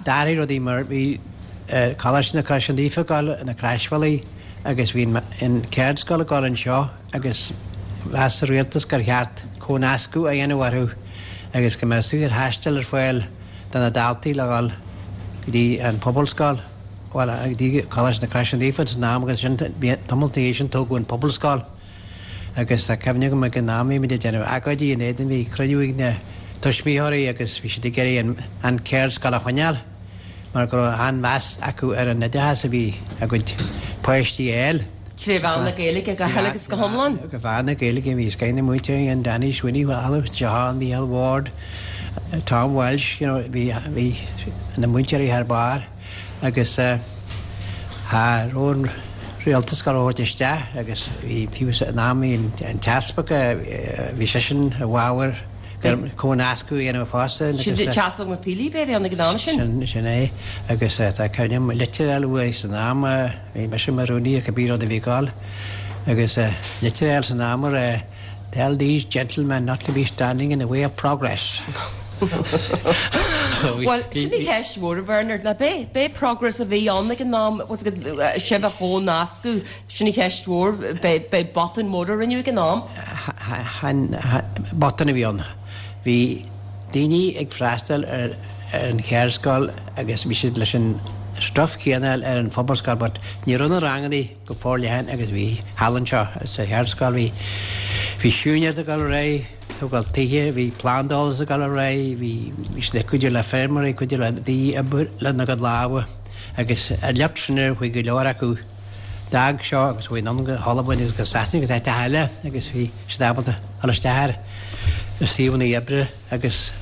d'athraigh rudaí mar bhí Coláiste na Croise Naofa ag dul na Croisbhealaí agus bhí an cheardscoil ag dul anseo agus mheas an rialtas gur cheart comhnascadh a dhéanamh orthu agus go mbeadh saorthaisteal ar fáil do na daltaí le dhul go dtí an Phobalscoil, bhuel, go dtí Coláiste na Croise Naofa san am agus sin tamall ina dhiaidh sin tógadh an Phobalscoil agus tá cuimhne agam ag an am bhí muid ag déanamh agóidí in éadan, bhí cruinniú ag na tuismitheoirí agus bhí siad ag iarraidh an cheardscoil a choinneáil mar go raibh an-mheas acu ar an oideachas a bhí a gcuid páistí a fháil. Tré mheán na Gaeilge go huile agus go hiomlán. Go mheán na Gaeilge bhí scoth na múinteoirí ann, Danny Sweeney, John, Micheál Ward, Tom Walsh, you know, bhí bhí na múinteoirí thar barr agus cha raibh an rialtas ag gabháil isteach agus bhí fiú san am bhí an t-easpag bhí seisean i bhfabhar comhnascadh a dhéanamh fosta. Sin an tEaspag Mac Fhílíp a bhí ann ag an am sin? Sin sin é agus tá cuimhne agam litir a fháil uaidh san am, bhí mise mar rúnaí ar cibé rud a bhí ag gabháil agus litir a fháil san am a rá Tell these gentlemen not to be standing in the way of progress. Bhuel, sin í ceist mhór, a Bhernard, ná b'é, b'é progress a bhí ann ag an am, was it sibh a chomhnascadh, sin í cheist mhór, b'é, b'é botún mór a rinneadh ag an am. Chan botún a bhí ann. Bhí daoine ag freastal ar an cheardscoil agus bhí siad leis an stuif céanna ar an phobalscoil but ní raibh na ranganna go forleathan agus bhí thall anseo sa cheardscoil. Bhí bhí siúinéireacht ag dul ar aghaidh, tógáil tithe, bhí plandáil ag dul ar aghaidh, bhí bhí siad ag cuidiú le feirmeoirí, cuidiú le daoine obair lena gcuid lámha agus an lucht sin ar chuaigh go leor acu d'fhág seo agus chuaigh anonn go hAlbain agus go Sasana agus áiteacha eile agus bhí siad ábalta dul isteach ar suíomhanna oibre agus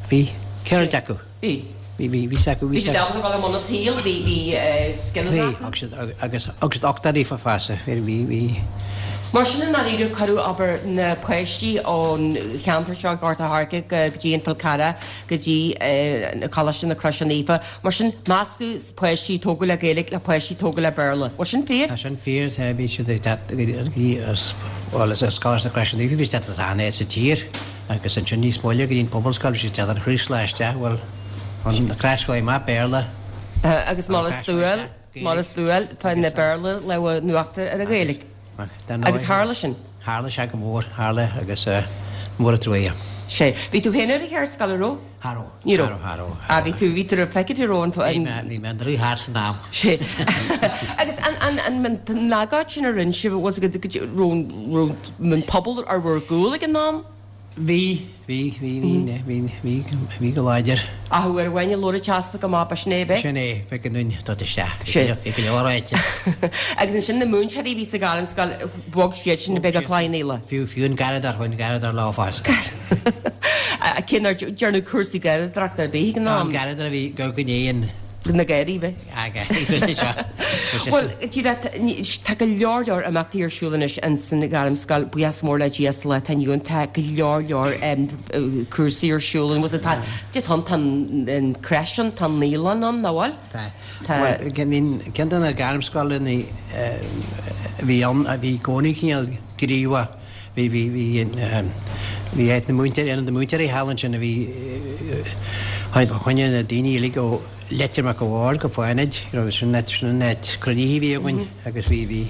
bhí ceird acu. Bhí. Bhí, bhí, bhí acu, bhí. Bhí siad ábalta dul i mbun an tsaoil, bhí, bhí scileanna acu. Bhí, agus siad, agus, agus siad uchtach daofa fosta, bhí, bhí, bhí. Mar sin i ndáiríre cuireadh, abair, na páistí ón cheantar seo, Gort a' Choirce go dtí an Fál Carrach, go dtí Coláiste na Croise Naofa. Mar sin meascadh páistí a tógadh le Gaeilge le páistí a tógadh le Béarla. Bhfuil sin fíor? Tá sin fíor. Bhí siad ag teacht go dtí, bhuel, as Coláiste na Croise Naofa, bhí siad ag teacht as achan áit sa tír agus ansin níos moille go dtí an Phobalscoil, bhí siad ag teacht an Chraoslaigh isteach, bhuel, an Chraoslaigh amach, Béarla. Agus mar is dual, mar is dual, tá an Béarla lámh in uachtar ar an Ghaeilge. Agus tharla sin? Tharla sé go mór, tharla agus mór an trua. Sé. Bhí tú féin ar an cheardscoil, an raibh? Cha raibh. Ní raibh. Cha raibh, cha raibh. Ah, bhí tú, bhí tú ar feicthe raibh an. Bhí mé, bhí mé an deartháir san am. Sé. Agus an, an, an, an agóid sin a rinne sibh, was it, raibh, raibh an pobal ar bhur gcúl ag an am? Bhí, bhí, bhí, bhí, bhí, bhí, bhí go láidir. Ach uair amháin a labhair an t-easpag amach, ba sin é ab ea? Sin é, b'éigean dúinn dul isteach. Sin. Bhí go leor ráite. Agus ansin na múinteoirí a bhí sa Ghairmscoil, bhog siad sin go Cloich Cheann Fhaola. Fiú, fiú an garradóir, chuaigh an garradóir leo fosta. Cé nár dearnadh cúrsaí garradóireachta ar bith ag an am. An garradóir a bhí go go ndéan. Na Gardaí, bhí. Bhuel, tá go leor leor imeachtaí ar siúl anois ins an Ghairmscoil, buíochas mór le Dia sa lá atá inniu ann, tá go leor leor cúrsaí ar siúl an bhfuil tá, tá an, tá an creche ann, tá an naíolann ann, nach bhfuil? Tá. Bhuel, I mean, ceann de na gairmscoileanna a bhí ann, a bhí i gcónaí cineál gníomhach, bhí, bhí, bhí, bhí áit na múinteoirí, ionad na múinteoirí thall ansin a bhí, choinnigh na daoine uilig ó Leitir Mac a' Bhaird go Fánaid, you know, sin an sin an áit cruinnithe a bhí againn agus bhí, bhí,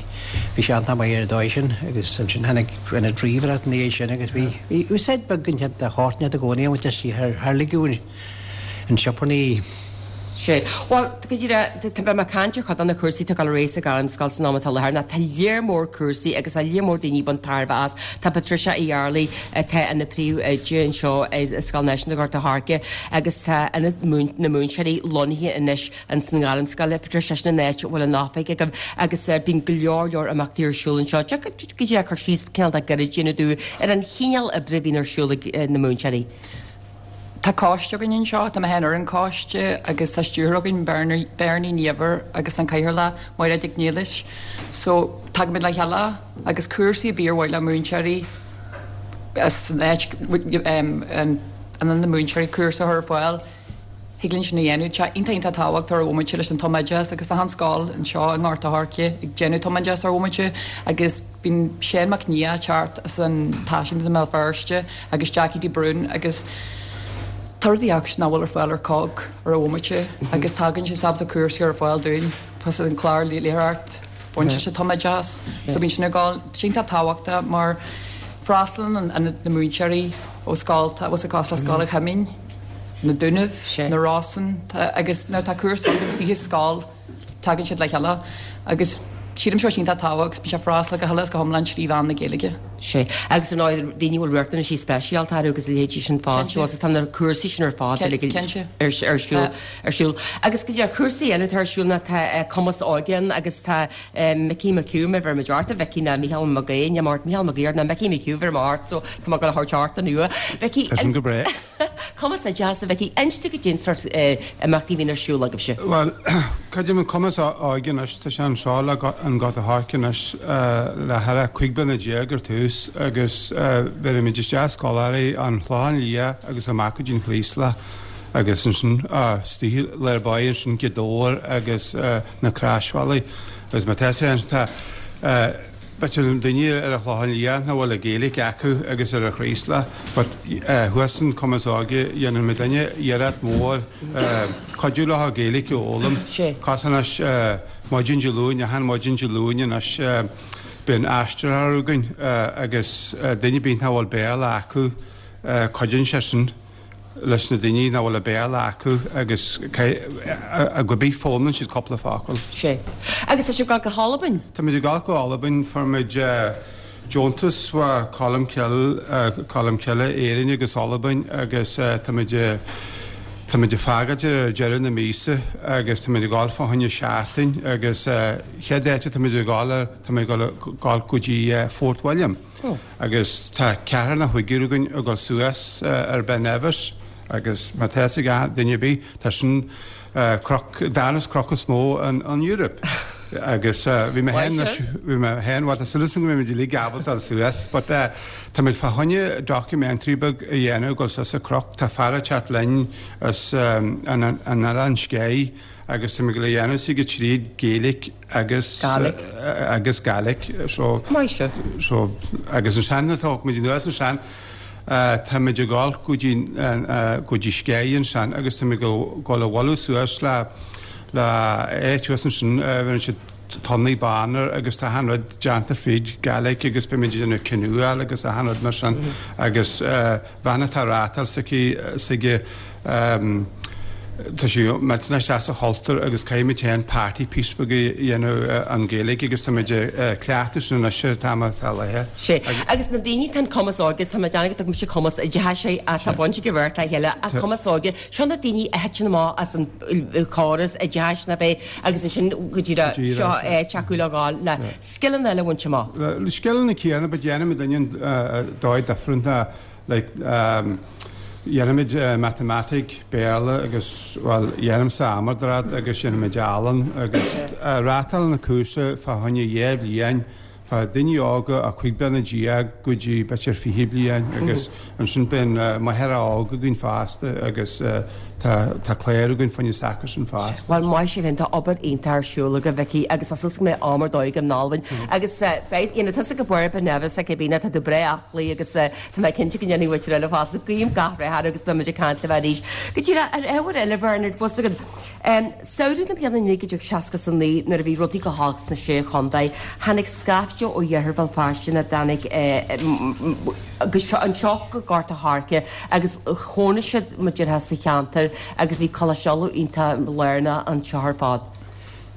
bhí sé iontach maith ar an dóigh sin agus ansin tháinig ionad ríomhaireacht ina dhiaidh sin agus bhí, bhí úsáid beag den de shórt i gcónaí a bhaint as thar, thar ligeadh an sioparnaí. Sé. Bhuel, go díreach, tá mé ag caint ar chuid de na cúrsaí atá ag dul ar aghaidh sa Ghairmscoil san am atá i láthair ná tá léar mór cúrsaí agus tá léar mór daoine ag baint tairbhe as. Tá Patricia Uí Fhearraigh atá ina príomhoide anseo i Scoil Náisiúnta Ghort a' Choirce agus tá Ionad na Múinteoirí lonnaithe anois ins an Ghairmscoil. Patricia, sin an áit a bhfuil an oifig agaibh agus bíonn go leor leor imeachtaí ar siúl anseo. Go díreach cur síos cineál de gairid a dhéanamh dúinn ar an chineál oibre a bhíonn ar siúl ag na múinteoirí. Tá coiste againn anseo, tá mé féin ar an choiste agus tá stiúrthóir againn, Bernie Ní Eibhir agus an cathaoirleach, Máiréad Nic Niallais. So, tagaimid le chéile agus cúrsaí ar bith ar mhaith le múinteoirí as an áit, ionad na múinteoirí cúrsa a chur ar fáil, thig linn sin a dhéanamh. Tá sé iontach iontach tábhachtach ar bhomaite leis an tumoideachas agus tá an scoil anseo i nGort a' Choirce ag déanamh tumoideachas ar bhomaite agus bíonn Seán Mac Nia ag teacht as an Táisiúnta i mBéal Feirste agus Jackie de Brún agus tá rudaí acu nach bhfuil ar fáil ar cogg ar an bhomaite agus tagann siad ábalta cúrsaí ar fáil dúinn plus an clár léitheoireacht bainte sé tumoideachas so bíonn sin ag gabháil sé iontach tábhachtach mar freastalaíonn an na múinteoirí ó scoil tá bhfuil cosúil le Scoil an Choimín na Dúnaibh na Rosann agus nuair atá cúrsa againn fiche scoil tagann siad le chéile agus sílim seo iontach tábhachtach agus bíonn sé freastal go huile is go hiomlán trí mheán na Gaeilge. Sé. Agus ar ndóigh daoine a bhfuil riachtanaisí speisialta orthu agus a leithéidí sin fosta agus tá na cúrsaí sin ar fad uilig ar siúl ar siúl. Agus go dtí cúrsaí eile atá ar siúl ná tá Cumas Óige ann agus tá Mickey McHugh má bheirim ort a Mhicí ná Mícheál Mac Aoidh, ní mar Mícheál Mac Aoidh ná Mickey McHugh bheirim ort so tá mé ag dul a thabhairt ort inniu. Mickey, Tá sin go breá. Cumas Oideachais, a Mhicí, inis dúinn goidé an sórt imeachtaí a bhíonn ar siúl agaibhse. Bhuel, creidim an Cumas Óige anois, tá sé anseo le an Gort a' Choirce anois le thar a cúig bliana déag ar tús agus bheirimid isteach scoláirí an Chlochán Liath agus amach go dtí an Chraoslach agus ansin istigh lár báire ansin Gaoth Dobhair agus na Croisbhealaí agus má tá sé tá b'fhéidir daoine ar an Chlochán Liath nach bhfuil an Ghaeilge acu agus ar an Chraoslach but thuas in Cumas Óige dhéanann muid duine iarracht mhór cuidiú leo Gaeilge a fhoghlaim. Cos anois maidin Dé Luain, achan maidin Dé Luain anois bíonn aistritheoir againn agus duine ar bith nach bhfuil Béarla acu cuidíonn sé sin leis na daoine nach bhfuil an Béarla acu agus go bith foghlaimíonn siad cúpla focal. Sé. Agus tá sibh ag gabháil go hAlbain? Táimid ag gabháil go hAlbain, fuair muid deontas ó Colmcille, Colmcille, Éirinn agus Albain agus táimid táimid ag fágáil ar deireadh na míosa agus táimid ag gabháil fá choinne seachtain agus chéad áit táimid ag gabháil táimid ag gabháil go dtí Fort William. Agus tá ceathrar nó cúigear againn ag dul suas ar Ben Nevis agus má tá fhios ag duine ar bith tá sin cnoc darna cnoc is mó an Europe. Agus bhí mé féin bhí mé féin bhuel tá súil agam go mbeidh muid uilig ábalta dul suas but táimid fá choinne documentary beag a dhéanamh ag dul suas an cnoc tá fear ag teacht linn as an Oileán Skye agus táimid ag dul a dhéanamh s'aige tríd Gaeilge agus Gaelic agus Gaelic so Maith sibh. so agus ansin tá muid anuas ansin táimid ag gabháil go dtí go dtí Skye ansin agus táimid ag gabháil a bhualadh suas le le áit thuas ansin bhíonn siad tonnaí bána agus tá achan rud déanta fríd Gaelic agus beimid ag déanamh canoeáil agus achan rud mar sin agus bhean atá rátáil s'aici s'aige tá sí millteanach isteach sa chultúr agus caithfimid féin party piece beag a dhéanamh an Ghaeilge agus táimid ag cleachtadh sin anois ar an t-am atá léithe. Sé. Agus na daoine tá an Cumas Óige, tá mé ag déanamh go dtugaimse Cumas Oideachais atá baint ag an bheirt le chéile ach Cumas Óige, seo na daoine a thiteann amach as an chóras oideachais na bheith agus ansin go díreach seo áit acu le gabháil le scileanna eile a bhaint amach. Le scileanna céanna but déanaimid duine dóigh different like dhéanaimid matamaitic, Béarla agus bhuel dhéanaimse amardrad agus dhéanaimid ealaín agus reáchtálann na cúrsa fá choinne dhá bhliain fá daoine óga a cúig bliana déag go dtí b'fhéidir fiche bliain agus ansin bíonn máthair óg againn fosta agus tá tá clár againn fá choinne s'acusan fosta. Bhuel maith sibh féin tá obair iontach ar siúl agaibh Mhicí agus tá súil go mbeidh am ar dóigh in Albain agus beidh you know tusa ag obair Ben Nevis ag bíonn tá tú breá aclaí agus tá mé cinnte go ndéanfaidh muid eile fosta guím gach rath ort agus beimid ag caint libh arís. Go díreach ar ábhar eile Bernard bus agad Um, Samhradh na bliana naoi déag seasca a naoi nuair a bhí rudaí go holc sna sé chontae, tháinig scaifte ó iarthar Bhéal Feirste na dtáinig agus anseo go Gort a' Choirce agus chónaigh siad mar déarfá sa cheantar agus bhí Coláiste Uladh iontach lárnach anseo ar fad.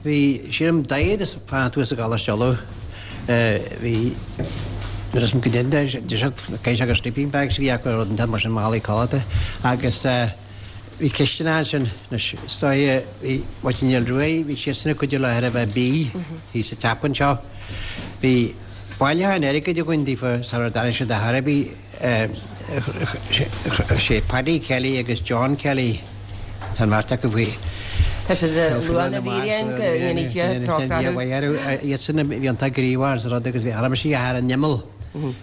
Bhí sílim daichead is fanacht thuas i gColáiste Uladh. Bhí nuair is go dtí cé agus sleeping bags a bhí acu rud inteacht mar sin málaí codlata agus bhí cisteanach ansin anois is dóigh bhí Máirtín Niall Ruaidh bhí siadsan ag cuidiú le ar a bheith bídh thíos sa teap anseo. Bhí bailiúchán airgid againn daofa sara dtáinig siad ar chor ar bith sé Paddy Kelly agus John Kelly tá an bheirt acu faoi Tá siad luath na bhfíréan go ndéanfaidh Dia trócaire orthu. Iadsan a bhí iontach gníomhach sa rud agus bhí arm sí thar an imeall.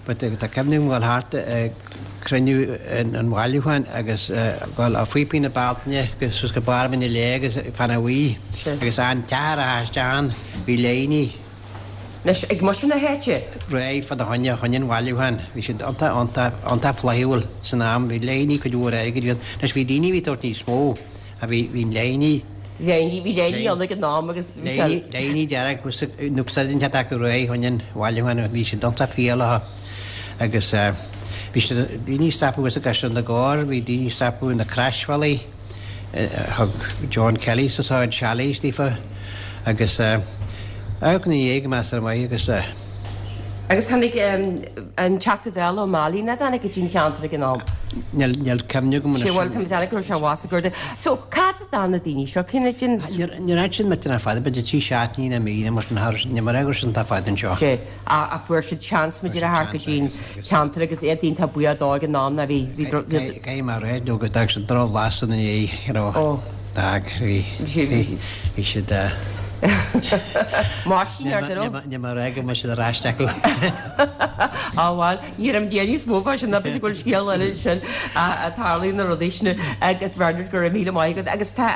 But tá cuimhne agam dhul thart ag cruinniú an bhailiúcháin agus dhul ó Faoi na Bealtaine agus suas go barr Mhín Léith agus Fana Bhuí agus an teach a raibh isteach ann bhí léiní. Anois ag muintir na háite. Réidh fá choinne choinne an bhailiúcháin. Bhí siad iontach iontach iontach flaithiúil san am. Bhí léiní cuid mhór airgid. Bhí anois bhí daoine a bhí ag tabhairt níos mó ach bhí bhí an léiní. Léiní bhí léiní ann ag an am agus bhí sé. Léiní dearg nó úsáideann siad acu réidh choinne an bhailiúcháin bhí siad iontach fial agus bhí siad daoine ag stopadh thuas i gCaisleán na gCorr, bhí daoine ag stopadh na Croisbhealaí, thug John Kelly sa áit chalets daofa agus amharc ina dhiaidh go measartha maith agus. Agus tháinig an Teachta Dála Ó Mailín, a tháinig go dtí an cheantar ag an am. Níl níl cuimhne agam anois. Sé bhuel, tá mé ag go raibh sé abhus ag Garda. So, cad as a dtagann na daoine seo? Cén fhad sin? Níor níor fhan siad millteanach fada, b'fhéidir trí seachtainí nó mí nó mar sin thar, níl mé ag rá go raibh siad iontach fada anseo. Sé, ach fuair siad seans b'fhéidir a theacht go dtí an ceantar agus iad iontach buíoch dó ag an am ná bhí, bhí, bhí. Caithfidh mé a rá nó go d'fhág siad drochbhlas ina ndiaidh, you know. Ó. D'fhág, bhí, bhí, bhí siad eh. Máistín ar deireadh. Níl mé ag rá go mbeidh siad ar ais acu. Á bhuel, ní raibh mé níos mó fá sin ná b'fhéidir go bhfuil scéal eile ansin a tarlaíonn na rudaí sin agus Bernard go raibh míle maith agat agus tá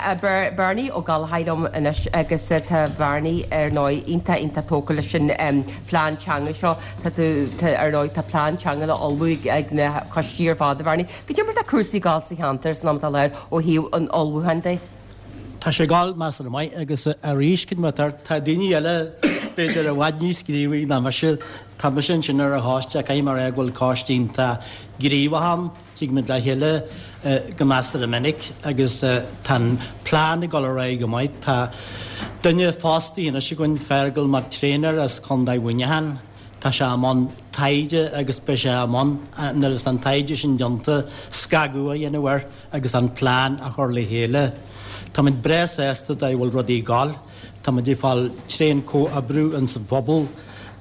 Bernie Ó Gallchóir liom anois agus tá Bernie ar ndóigh iontach iontach tógtha leis an phlean teanga seo. Tá tú tá ar ndóigh tá plean teanga le ullmhú ag na coistí ar fad a Bhernie. Goidé mar atá cúrsaí ag gabháil sa cheantar san am atá i láthair ó thaobh an ullmhúcháin de? Tá sé ag gabháil measartha maith agus arís cad mar tá daoine eile b'fhéidir i bhfad níos gníomhaí ná mise. Tá mise ansin ar an choiste, caithfidh mé a rá go bhfuil coiste iontach gníomhach ann, tig muid le chéile go measartha minic agus tá an plean ag dul ar aghaidh go maith. Tá duine fostaithe anois againn, Feargal Mac Tréinir as Contae Mhuineacháin. Tá sé i mbun taighde agus beidh sé i mbun, nuair is an taighde sin déanta, scagadh a dhéanamh air agus an plean a chur le chéile. Táimid breá sásta dóigh a bhfuil rudaí ag gabháil. Táimid ag fáil tréan comhoibriú ins an phobal.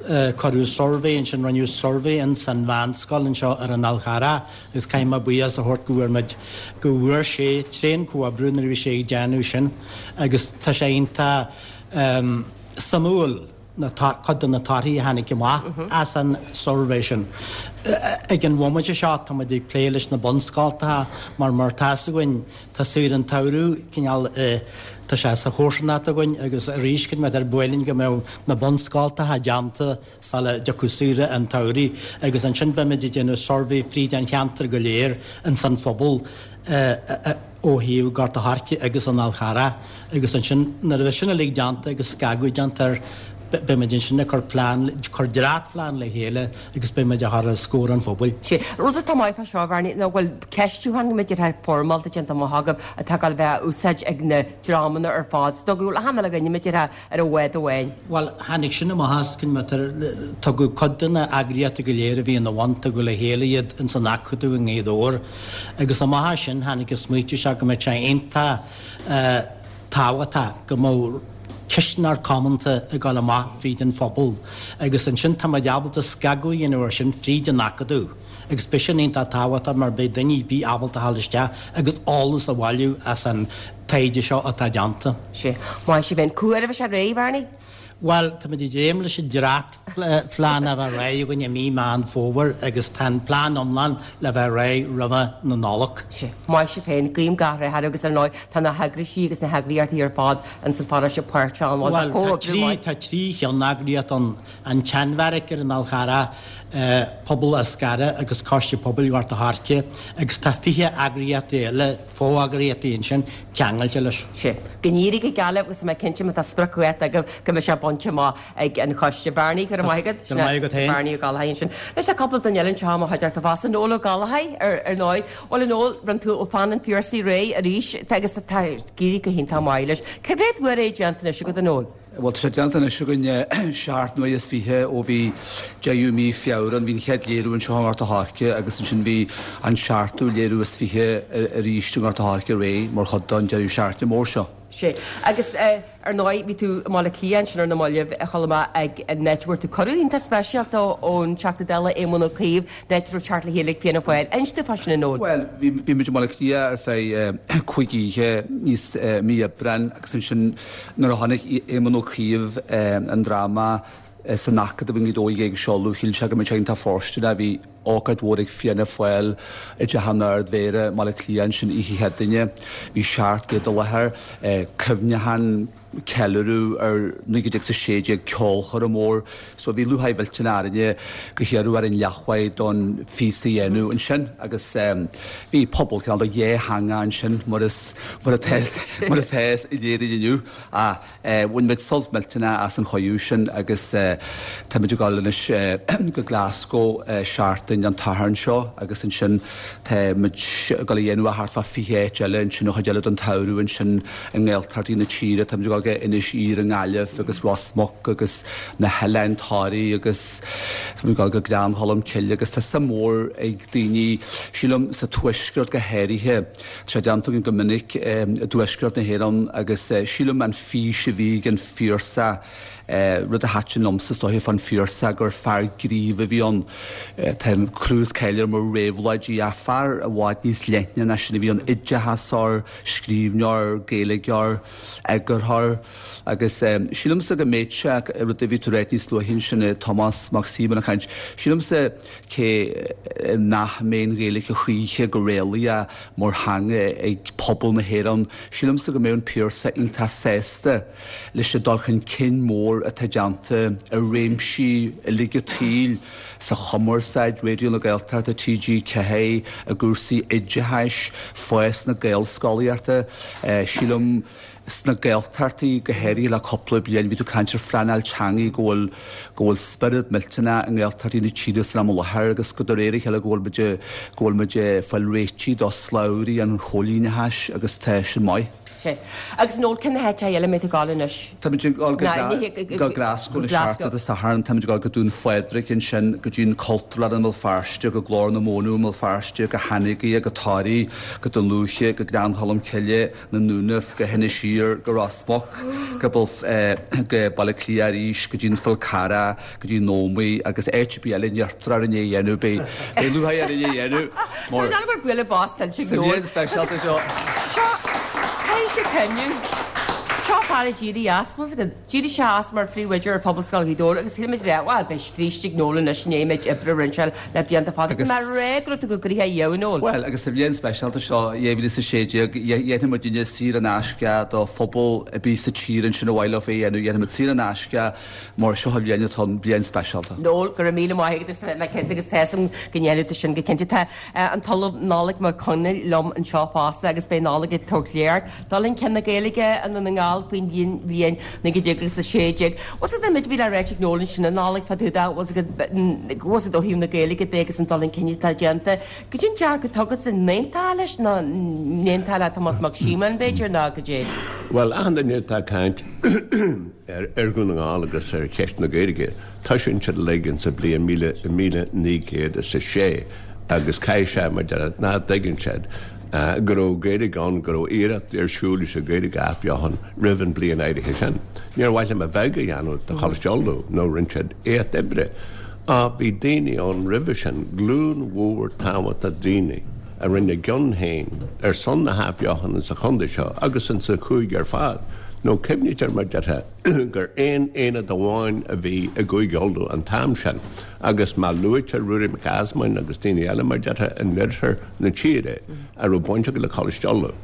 Cuireadh suirbhé ansin, rinneadh suirbhé ins an mheánscoil anseo ar an Fhál Charrach agus caithfidh mé buíochas a thabhairt go bhfuair muid, go bhfuair sé tréan comhoibriú nuair a bhí sé ag déanamh sin agus tá sé iontach suimiúil. na cuid de na torthaí a tháinig amach as an suirbhé sin. Ag an bhomaite seo tá muid ag plé leis na bunscoltacha mar mar tá's againn tá saoire an tsamhraidh cineál tá sé sa chomharsanacht againn agus arís cad mar ar ba mhaith linn go mbeadh na bunscoltacha déanta sula dtiocfadh saoire an tsamhraidh agus ansin beimid ag déanamh suirbhé fríd an cheantar go léir ins an phobal ó thaobh Gort a' Choirce agus an Fhál Charrach agus ansin nuair a bheidh sin uilig déanta agus scagadh déanta air beidh muid ansin ag cur plean, cur dréachtphlean le chéile agus beidh muid á chur os comhair an phobail. Sé rud atá maith fá seo, a Bhernie, ná go bhfuil ceistiúchán b'fhéidir foirmeálta déanta amach agaibh atá ag gabháil a bheith á úsáid ag na dreamanna ar fad. So go bhfuil achan uile dhuine b'fhéidir ar an bhád amháin. Bhuel, tháinig sin amach as, cinn matar, tugadh cuid de na eagraíochtaí go léir a bhí ina bhun, tugadh le chéile iad ins an Acadamh i nGaoth Dobhair agus amach as sin tháinig an smaoitiú seo go mbeadh sé iontach tábhachtach go mbeadh ceistneoir comónta ag dul amach fríd an phobal agus ansin tá muid ábalta scagadh a dhéanamh air sin fríd an Acadamh agus beidh sin iontach tábhachtach mar beidh duine ar bith ábalta a ghabháil isteach agus eolas a bhailiú as an taighde seo atá déanta. Sea. Maith sibh féin. Cá huair a bheidh sé réidh, Bernie? Bhuel, táimid ag dréim leis an dréachtphlean a bheith réidh againn i mí Meán Fómhair agus tá an plean iomlán le bheith réidh roimhe na Nollag. Sea. Maith sibh féin. Guím gach rath oraibh agus ar ndóigh tá na heagraisí agus na heagraíochtaí ar fad ins an pharóiste páirteach ann. Bhuel, tá trí, tá trí cheanneagraíocht ann, an tSeanbheairic ar an Fhál Charrach, Pobal Eascarrach agus Coiste Pobail Ghort a' Choirce agus tá fiche eagraíocht eile, fo-eagraíochtaí ansin, ceangailte leis. Sea. Go n-éirí go geal libh agus tá mé cinnte má tá sprioc uait agaibh go mbeidh sé bainte amach ag an choiste. Bernie, go raibh maith agat. Go raibh maith agat féin. Bernie Ó Gallchóir ansin. Anois tá cúpla duine eile anseo i mo chuideachta fosta. Noel Ó Gallchóir ar ar ndóigh. Bhuel a Noel, rinne tú Fan an Phiarsaigh réidh arís agus tá ag éirí go hiontach maith leis. Cé mhéad uair é déanta anois agat a Noel? Bhuel, tá sé déanta anois againn seacht n-uaire is fiche ó bhí deichiú mí Feabhra ann. Bhí an chéad léiriú anseo i nGort a' Choirce agus ansin bhí an seachtú léiriú is fiche arís i nGort a' Choirce aréir mar chuid den deireadh seachtaine mór seo. Sea. Agus ar ndóigh bhí tú i mBaile Átha Cliath ansin ar na mallaibh a chuala mé ag an áit a bhfuair tú cuireadh iontach speisialta ón Teachta Dála Éamon Ó Cuív, an áit a raibh teacht le chéile ag Fianna Fáil. Inis dúinn fá sin a Noel. Bhuel, bhí bhí muid i mBaile Átha Cliath ar feadh cúig oíche níos mí Aibreáin agus ansin nuair a chonaic Éamon Ó Cuív an dráma san Acadamh i nGaoth Dobhair ag seoladh, shíl sé go mbeadh sé iontach fóirsteanach. Bhí ócáid mhór ag Fianna Fáil i dTeach an Ard-Mhéara i mBaile Átha Cliath ansin oíche Chéadaoine. Bhí seacht gcéad i láthair, cuimhneachán, ceiliúradh ar naoi gcéad déag is a sé déag, ceolchoirm mhór. So bhí lúcháir mhillteanach orainne gur hiarradh orainn leathmhaith don phíosa a dhéanamh ansin agus bhí pobal cineál de dhá theanga ansin mar is mar atá mar atá in Éirinn inniu. Ach Bhain muid sult millteanach as an chuireadh sin agus táimid ag dul anois go Glasgow seachtain an tSathairn seo agus ansin tá muid ag dul a dhéanamh thart fá fiche áit eile ansin an chuid eile den tsamhradh ansin i nGaeltachtaí na tíre. Táimid ag dul go Inis Oírr i nGaillimh agus Ros Muc agus na hOileáin Toraí agus tá muid ag dul go Gleann Cholm Cille agus tá suim mhór ag daoine, sílim sa tuaisceart go háirithe, tá sé déanta againn go minic i dtuaisceart na hÉireann agus sílim an fís a bhí ag an Phiarsach, rud a thaitin liomsa is dóiche fán Phiarsach gur fear gnímh a bhí ann. Tá clú is cáil air mar réabhlóidí ach fear i bhfad níos leithne ná sin a bhí ann, oideachasóir, scríbhneoir, Gaeilgeoir, eagarthóir agus sílimse go mbeadh sé, rud a bhí tú ag ráit níos luaithe ansin, Tomás Mac Síomóin ag caint, sílimse cé nach mbeidh an Ghaeilge choíche go réalaíoch mar theanga ag pobal na hÉireann, sílimse go mbeadh an Piarsach iontach sásta leis an dul chun cinn mór atá déanta i réimsí uilig an tsaoil, sa chumarsáid, Raidió na Gaeltachta, T G ceathair, i gcúrsaí oideachais, fás na Gaelscolaíochta, sílim sna Gaeltachtaí go háirithe le cúpla bliain, bhí tú ag caint ar phleanáil teanga, go bhfuil go bhfuil spiorad millteanach i nGaeltachtaí na tíre san am i láthair agus go de réir a chéile go bhfuil muid go bhfuil muid ag fáil réitithe do shlabhraí an choilíneachais agus tá sin maith. Sea. Agus Noel, cén háit eile a mbeidh tú ag dul anois? Táimid ag dul go go Glasgow na seachtaine Dé Sathairn, táimid ag dul go Dún Phádraig ansin, go dtí an Cultúrlann i mBéal Feirste, go Glór na Móna i mBéal Feirste, go hAnagaire, go Toraigh, go Dún Lúiche, go Gleann Cholm Cille, na Dúnaibh, go hInis Oírr, go Ros Muc, go go Baile Átha Cliath arís, go dtí an Fál Carrach, go dtí an Ómaigh agus áit ar bith eile a n-iarrtar orainn é a dhéanamh, beidh beidh lúcháir orainn é a dhéanamh mar Tá an bualadh bos tuillte ag Sa Noel. bhliain speisialta seo. Seo, caithfidh sé cuimhniú. Seo fear a d'éirigh as, bhfuil 's agat, d'éirigh sé as mar phríomhoide ar Phobalscoil Ghaoth Dobhair agus shíl muid rá, bhuel, beidh scríste ag Noel anois i ndiaidh an méid oibre a rinne sé le blianta fada. Agus. Tá mé ag rá go raibh tú chomh gnoitheach ariamh, Noel. Bhuel, agus sa bhliain speisialta seo, dhá mhíle is a sé déag, dhéanfaidh muidinne saor in aisce do phobal ar bith sa tír ansin ar mhaith leo é a dhéanamh, dhéanfaidh muid saor in aisce mar seo an bhliain atá ann, bliain speisialta. Noel, go raibh míle maith agat is mé cinnte agus tá 'fhios a'm go ndéanfaidh tú sin go cinnte. Tá an tOllamh Nollaig Mac Conaill liom anseo fosta agus beidh Nollaig ag tabhairt léacht dul chun cinn na Gaeilge i nDún na nGall faoin bhliain naoi déag agus a sé déag. Bhfuil 's agat an méid a bhí le ráit ag Noel ansin a Nollaig fá dtaobh de, bhfuil 's agat, bhfuil 's agat ó thaobh na Gaeilge de agus an dul chun cinn atá déanta. Goidé an dearcadh atá agatsa, an n-aontófá leis nó n-aontófá le Tomás Mac Síomóin b'fhéidir nó goidé? Bhuel, achan duine atá ag caint ar Dhún na nGall agus ar cheist na Gaeilge, toisíonn siad uilig insa bliain míle, míle naoi gcéad is a sé agus caithfidh sé, mar deir, nach dtuigeann siad go raibh Gaeilge ann, go raibh iarracht ar siúl leis an Ghaeilge a athbheochan roimh an bliain áirithe sin. Níor mhaith liom a bheag a dhéanamh de Choláiste Uladh nó rinne siad éacht oibre. Ach bhí daoine ann roimhe sin, glúin mhór tábhachtach daoine a rinne a gcion féin ar son na hathbheochana sa chontae seo agus insa chúige ar fad. Nó cuimhnítear, mar déarfá, gur aon aonad amháin a bhí i gCúige Uladh an t-am sin agus má luaitear Ruairí Mac Easmainn agus daoine eile, mar déarfá, in oirthear na tíre a raibh baint acu le Coláiste Uladh,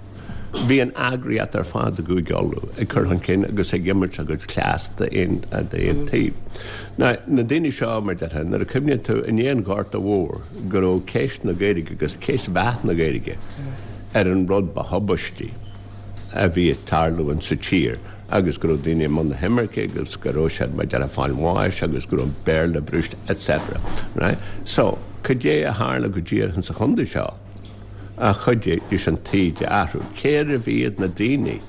bhí an eagraíocht ar fad i gCúige Uladh ag cur chun cinn agus ag imirt a gcuid cleas d'aon taobh. Now, na daoine seo, mar déarfá, nuair a chuimhníonn tú i ndiaidh an Ghorta Mhóir go raibh ceist na Gaeilge agus ceist mheath na Gaeilge ar an rud ba thubaistí a bhí ag tarlú insa tír agus go raibh daoine i mbun na himirce agus go raibh siad, mar déarfá, ag fáil bháis agus go raibh Béarla brúiste et cetera. Right? So, cad é a tharla go díreach insa chontae seo a chuidigh leis an taoide a athrú? Cérbh iad na daoine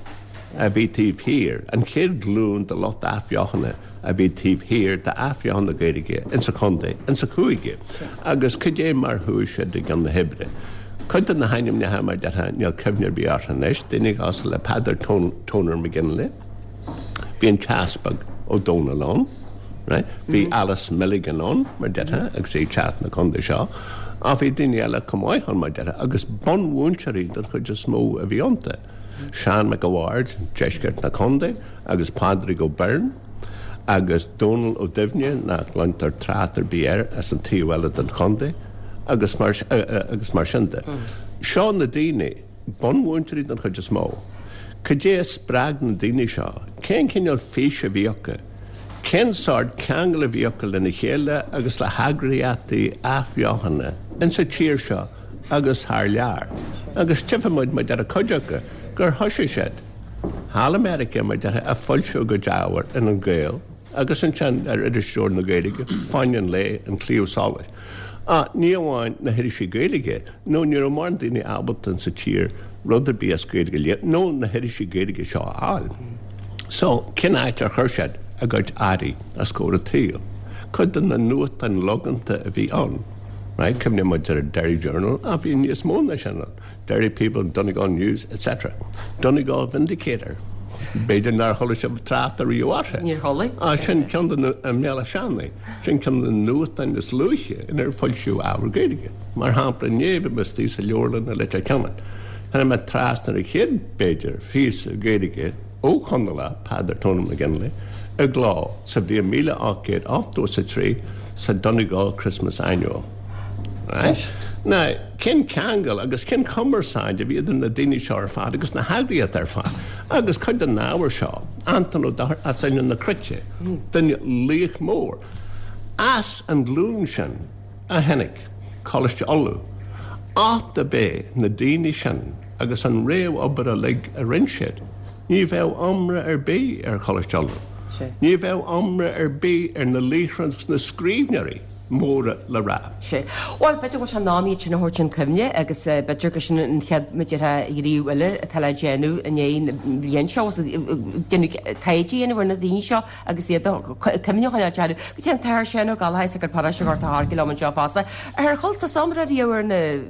a bhí taobh thiar, an chéad ghlúin de lucht athbheochana a bhí taobh thiar d'athbheochan na Gaeilge insa chontae, insa chúige, agus cad é mar chuaigh siad i gcionn na hoibre? Cuid de na hainmneacha, mar déarfá, níl cuimhne ar bith orthu anois, daoine cosúil le Peadar Toner McGinley, bhí an tEaspag Ó Dónaill ann, right? Bhí Alice Milligan ann, mar déarfá, agus í ag teacht na contae seo, ach bhí daoine eile chomh maith ann, mar déarfá, agus bunmhúinteoirí den chuid is mó a bhí iontu. Seán Mac a' Bhaird, deisceart na contae, agus Pádraig Ó Beirn, agus Dónal Ó Duibhne, nach gcluintear trácht ar bith air, as an taobh eile den chontae, agus mar agus mar sin de. Seo na daoine, bunmhúinteoirí den chuid is mó. Cad é a spreag na daoine seo? Cén cineál físe a bhí acu? Cén sórt ceangal a bhí acu lena chéile agus le heagraíochtaí athbheochana insa tír seo agus thar lear? Agus tchífidh muid, mar deir cuid acu, gur thoisigh siad thall i Meiriceá, mar déarfá, ag foilsiú a gcuid ábhair in An Gael agus ansin ar Irisleabhar na Gaeilge, Fáinne an Lae, An Claidheamh Soluis. Ach ní amháin na hirisí Gaeilge, nó ní raibh mórán daoine ábalta insa tír rud ar bith as Gaeilge a léamh, nó na hirisí Gaeilge seo a fháil. So, cén áit ar chuir siad a gcuid earraí os comhair an tsaoil? Cuid de na nuachtáin logánta a bhí ann. Right? Cuimhníonn muid ar an Derry Journal, ach bhí níos mó ná sin ann. Derry People, Donegal News, et cetera. Donegal Vindicator. B'fhéidir nár chuala sibh trácht ariamh orthu. Níor chuala. Ah, sin ceann de na i mBéal Átha Seanaidh. Sin ceann de na nuachtáin is luaithe inar foilsíodh ábhar Gaeilge. Mar shampla, inné bhí mé istigh sa leabharlann i Leitir Ceanainn. Tháinig mé trasna ar an chéad, b'fhéidir, phíosa Gaeilge ó Chonallach, Peadar Tony McGinley, i gcló sa bhliain míle ocht gcéad ochtó is a trí sa Donegal Christmas Annual. Right? Now, cén ceangal agus cén chumarsáid a bhí idir na daoine seo ar fad agus na heagraíochtaí ar fad? Agus cuid den ábhar seo, Anton Ó Dochartaigh as Oileán na Cruite, duine laoch mór. As an ghlúin sin a tháinig Coláiste Uladh. Ach dob é na daoine sin agus an réamhobair uilig a rinne siad, ní bheadh iomrá ar bith ar Choláiste Uladh. Ní bheadh iomrá ar bith ar na laochra agus na scríbhneoirí móra le rá. Sé. Bhuel, b'fhéidir go bhfuil sé in am iad sin a thabhairt chun cuimhne agus b'fhéidir go sin an chéad muideartha ghníomh eile atá le déanamh i ndiaidh na bliana seo, déanamh taighde a dhéanamh ar na daoine seo agus iad a cuimhne a choinneáil orthu. Go dtí an tAthair Seán Ó Gallchóir as an paróiste Ghort an Choirce liom anseo fosta. Ar chuala tusa iomrá riamh ar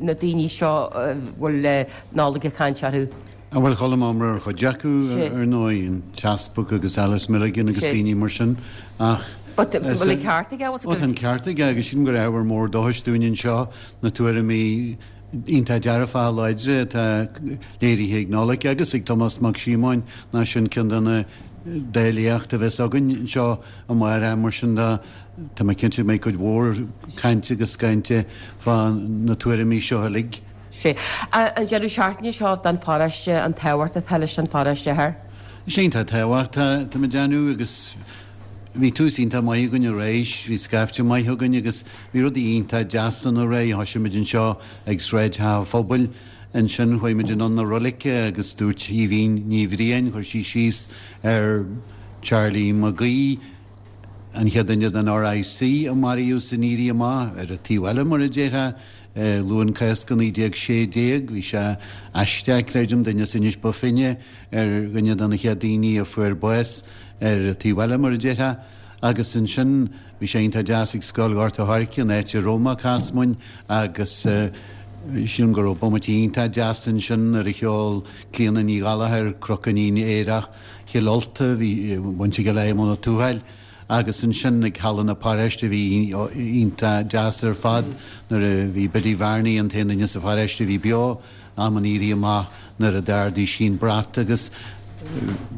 na daoine seo a bhfuil Nollaig ag caint orthu? An bhfuil chuala iomrá ar chuid acu ar ndóigh, an tEaspag agus Alice Milligan agus daoine mar sin, ach But bhfuil an ceart aige? Ó, tá an ceart aige agus sílim gur ábhar mór dóchais dúinn anseo na tuairimí iontach dearfacha láidre atá léirithe ag Nollaig agus ag Tomás Mac Síomóin ná sin ceann de na dá léacht a bheas againn anseo amárach. Mar sin de, tá mé cinnte go mbeidh cuid mhór cainte agus scainte fá na tuairimí seo uilig. Sé. An deireadh seachtaine seo don pharóiste, an tábhacht atá leis an pharóiste thoir? Is iontach tábhacht tá mé déanamh agus bhí tús iontach maith againn aréir, bhí scaifte maith againn agus bhí rudaí iontach deas ann aréir. Thosaigh muid anseo ag Sráid Theach an Phobail, ansin chuaigh muid anonn na roilige agus dúirt Aoibhín Ní Bhriain, chuir sí síos ar Charlie McGee, an chéad duine den R I C a maraíodh san Éirí Amach, ar an taobh eile mar a déarfá, Luan Cásca naoi déag sé déag. Bhí sé aisteach, creidim, duine as Inis Bó Finne ar dhuine de na chéad daoine a fuair bás ar an taobh eile mar a déarfá. Agus ansin bhí sé iontach deas ag Scoil Ghort an Choirce, an áit a raibh mé ag Casmain, agus sílim go raibh bomaite iontach deas ansin nuair a cheol Clíona Ní Ghallchóir Crocainnín Aerach Chill Ulta, bhí baint aige le Éamonn Ó Tuathail. Agus ansin ag Halla na Paróiste bhí iontach deas ar fad nuair a bhí Biddy Varney, an t-aon duine sa pharóiste a bhí beo am an Éirí Amach, nuair a d'ardaigh sí an brat agus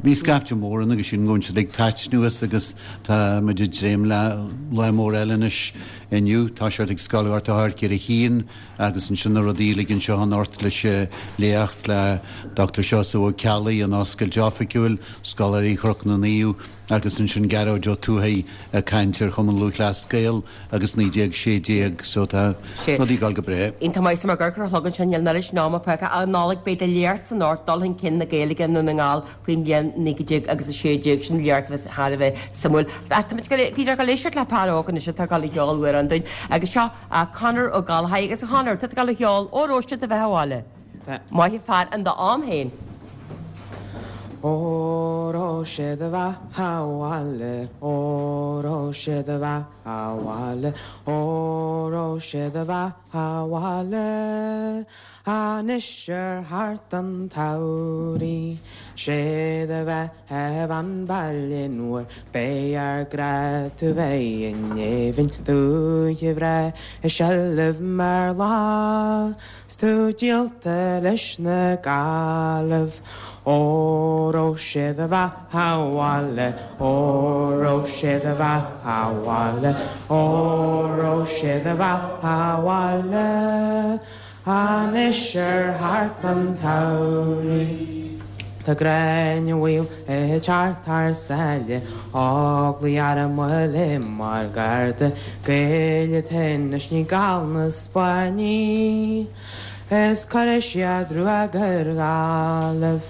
bhí scaifte mór ann agus sin go siad ag taitneamh as. Agus tá muid ag dréim le lá mór eile anois inniu. Tá siad ag Scoil Ghort an Choirce ar a haon agus ansin na rudaí uilig anseo anocht leis léacht le Doctor Seosamh Ó Ceallaigh, an oscailt oifigiúil, Scoláirí Chnoc na Naomh agus ansin Gearóid Ó Tuathaigh ag caint ar Chumann Lúthchleas Gael agus naoi déag sé déag, so tá rudaí ag dul go breá. Iontach maith sa mar gur a shlogann sin níl leis ná feice a Nollaig beidh do léacht san ort dul chun cinn na Gaeilge i nDún na nGall faoin mbliain naoi déag agus a sé déag, sin léacht a bheas thar a bheith suimiúil. Táimid go léiseart le fear óg anois atá ag dul a cheol amhrán dúinn agus seo Conor Ó Gallchóir agus a Chonor, tá tú ag dul a cheol Óró Sé do Bheatha 'Bhaile. Maith fear an do am féin. Óró sé do bheatha 'bhaile, óró sé do bheatha 'bhaile, óró sé do bheatha 'bhaile. Anois ar thart an tsamhraidh, sé do bheatha an baile nuair b'é ár gcrá tú bheith in éibhinn dúiche bhreá i seilbh mar lá, 's tú díolta leis na Gallaibh. Óró sé do bheatha 'bhaile, óró sé do bheatha 'bhaile, óró sé do bheatha 'bhaile. Anois ar thart an tsamhraidh. Tá gráinne mhaol ag teacht thar sáile, Óglaigh arm uile mar garda, Gaeil atá anois ní Gall na Spáinnigh, is cuirfidh siad ruaig ar Ghallaibh.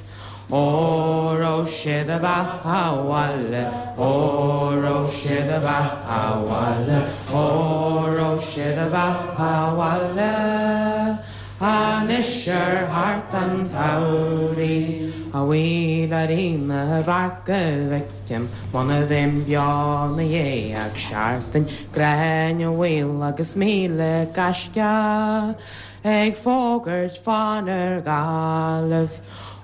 Óró sé do bheatha 'bhaile, óró sé do bheatha 'bhaile, óró sé do bheatha 'bhaile. Anois ar thart an tsamhraidh. A bhuí Níl na bhac go bhfeicim Muna bhím beo ina dhiaidh ach seachtain Gráinne Mhaol agus míle gaisce ag fógairt fán ar Ghaillimh.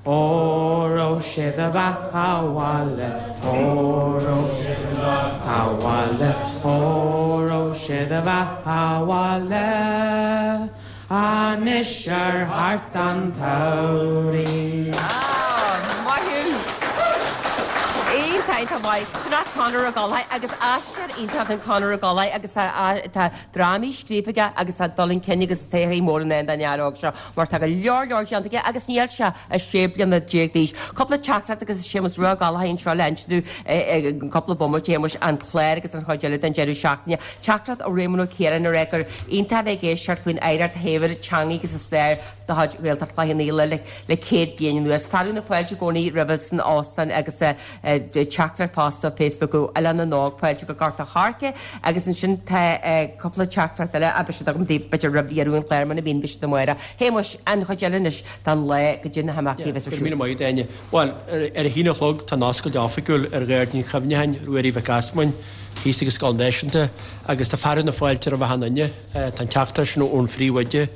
Óró sé do bheatha abhaile, óró sé do bheatha abhaile, óró sé do bheatha abhaile, anois ar thart an tsamhraidh. Maith thú! Iontach maith. Sin é Conor Ó Gallchóir agus aisteoir iontach an Conor Ó Gallchóir agus tá drámaí scríofa aige agus tá dul chun cinn agus todhchaí mór i ndán don fhear óg seo mar tá go leor leor déanta aige agus níl sé ach sé bliana déag d'aois. Cúpla teachtaireacht agus Séamus Rua Ó Gallchóir anseo le inse dúinn cúpla bomaite Shéamuis an clár agus an chuid eile den deireadh seachtaine. Teachtaireacht ó Réamonn Ó Ciaráin a rá gur iontach a bheith ag éisteacht faoin oidhreacht shaibhir teanga agus a stair de chuid Ghaeltacht Chloich Cheann Fhaola le le céad bliain anuas. Fearadh na fáilte i gcónaí roimhe san óstán agus teachtaireacht fosta Facebook ó Oileán na nÓg fáilte go Gort a' Choirce agus ansin tá cúpla teachtaireacht eile a beidh siad agam daoibh b'fhéidir roimh dheireadh an chláir muna mbíonn beidh siad amárach. Shéamuis, an chuid eile anois den lá goidé na himeachtaí a bheas ar Go siúl. míle maith agat, Áine. Bhuel, ar a haon a chlog tá an oscailt oifigiúil ar Ghairdín Chuimhneacháin Ruairí Mhic Easmainn thíos ag an Scoil Náisiúnta agus tá fearadh na fáilte roimh achan duine. Tá an teachtaireacht sin ón phríomhoide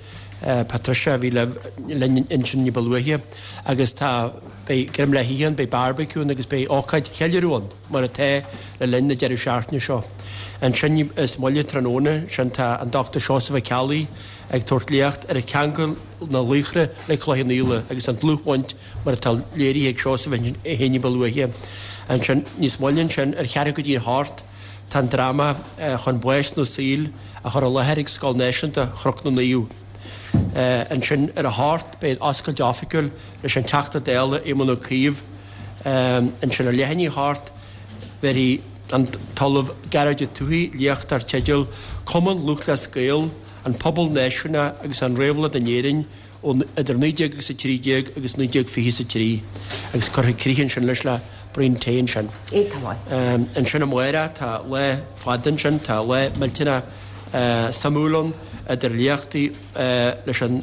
Patricia a bhí linn ansin ní ba luaithe agus tá beidh greim le hithe ann, beidh barbecue ann agus beidh ócáid cheiliúradh ann mar atá le linn na deireadh seachtaine seo. Ansin níos moille tráthnóna sin tá an Dochtúir Seosamh Ó Ceallaigh ag tabhairt léacht ar cheangal na laochra le Cloich Cheann Fhaola agus an dlúthbhaint mar atá léirithe ag Seosamh é féin ní ba luaithe. Ansin níos moille ansin ar cheathrú go dtí a hocht tá an dráma Chun Báis nó Saoil á chur i láthair ag Scoil Náisiúnta Chnoc na Naomh. Ansin ar a hocht beidh an oscailt oifigiúil leis an Teachta Dála Éamon Ó Cuív. Ansin ar leath i ndiaidh a hocht bhéarfaidh an tOllamh Gearóid Ó Tuathaigh léacht dar teideal Cumann Lúthchleas Gael, an Pobal Náisiúnach agus an Réabhlóid in Éirinn ó idir naoi déag agus a trí déag agus naoi déag fiche is a trí agus cuirfidh críoch ansin leis le braon tae ansin. Iontach maith. Ansin amárach tá lá fada ansin, tá lá millteanach suimiúil ann idir léachtaí leis an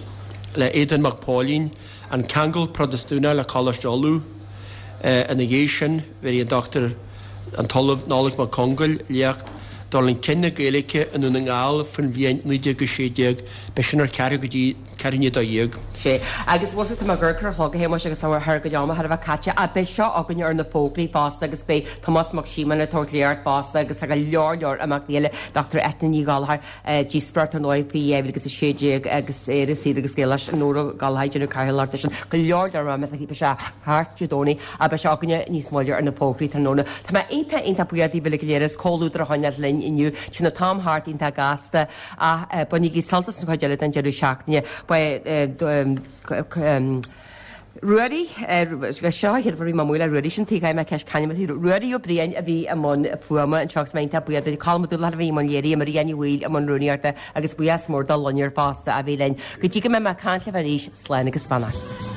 le Aodán Mac Póilín, An Ceangal Protastúnach le Coláiste Uladh. Ina dhiaidh sin bhéarfaidh an Dochtúir an tOllamh Nollaig Mac Congáil léacht Dul chun cinn na Gaeilge i nDún na nGall faoin bhliain naoi déag a sé déag. Beidh sin ar ceathrú go dtí ceathrú i ndiaidh a dó dhéag. Sea, agus bhuel tá mé ag amharc ar an chlog a Shéamuis agus tá thar go am thar a bheith caite ach beidh seo againne ar na fógraí fosta agus beidh Tomás Mac Síomóin ag tabhairt léacht fosta agus tá go leor leor imeachtaí eile Dochtúir Eithne Ní Ghallchóir díospóireacht ar ndóigh faoi dhá mhíle agus a sé déag agus Éire Saor agus Gaelach Nóra Gallchóir ag déanamh cathaoirleacht air sin go leor leor imeachtaí beidh sé thart Dé Domhnaigh ach beidh sé againne níos moille ar na fógraí tráthnóna. Tá mé iontach iontach buíoch daoibh uilig go léir as comhluadar a choinneáil linn inniu. Téann an t-am thart iontach gasta ach bainigí sult as an chuid eile den deireadh seachtaine. Ba Ruairí, seo an chéad uair a bhí mé amuigh le Ruairí sin tuigim mé ceist c'ainm atá Ruairí Ó Briain a bhí i mbun fuaime anseo agus mé iontach buíoch de Colm Ó Dúlacháin a bhí i mbun léirithe, Maria Ní Bhaoill i mbun rúnaíochta agus buíochas mór do Loinnir fosta a bhí linn. Go dtí go mbeidh mé ag caint libh arís, slán agus beannacht.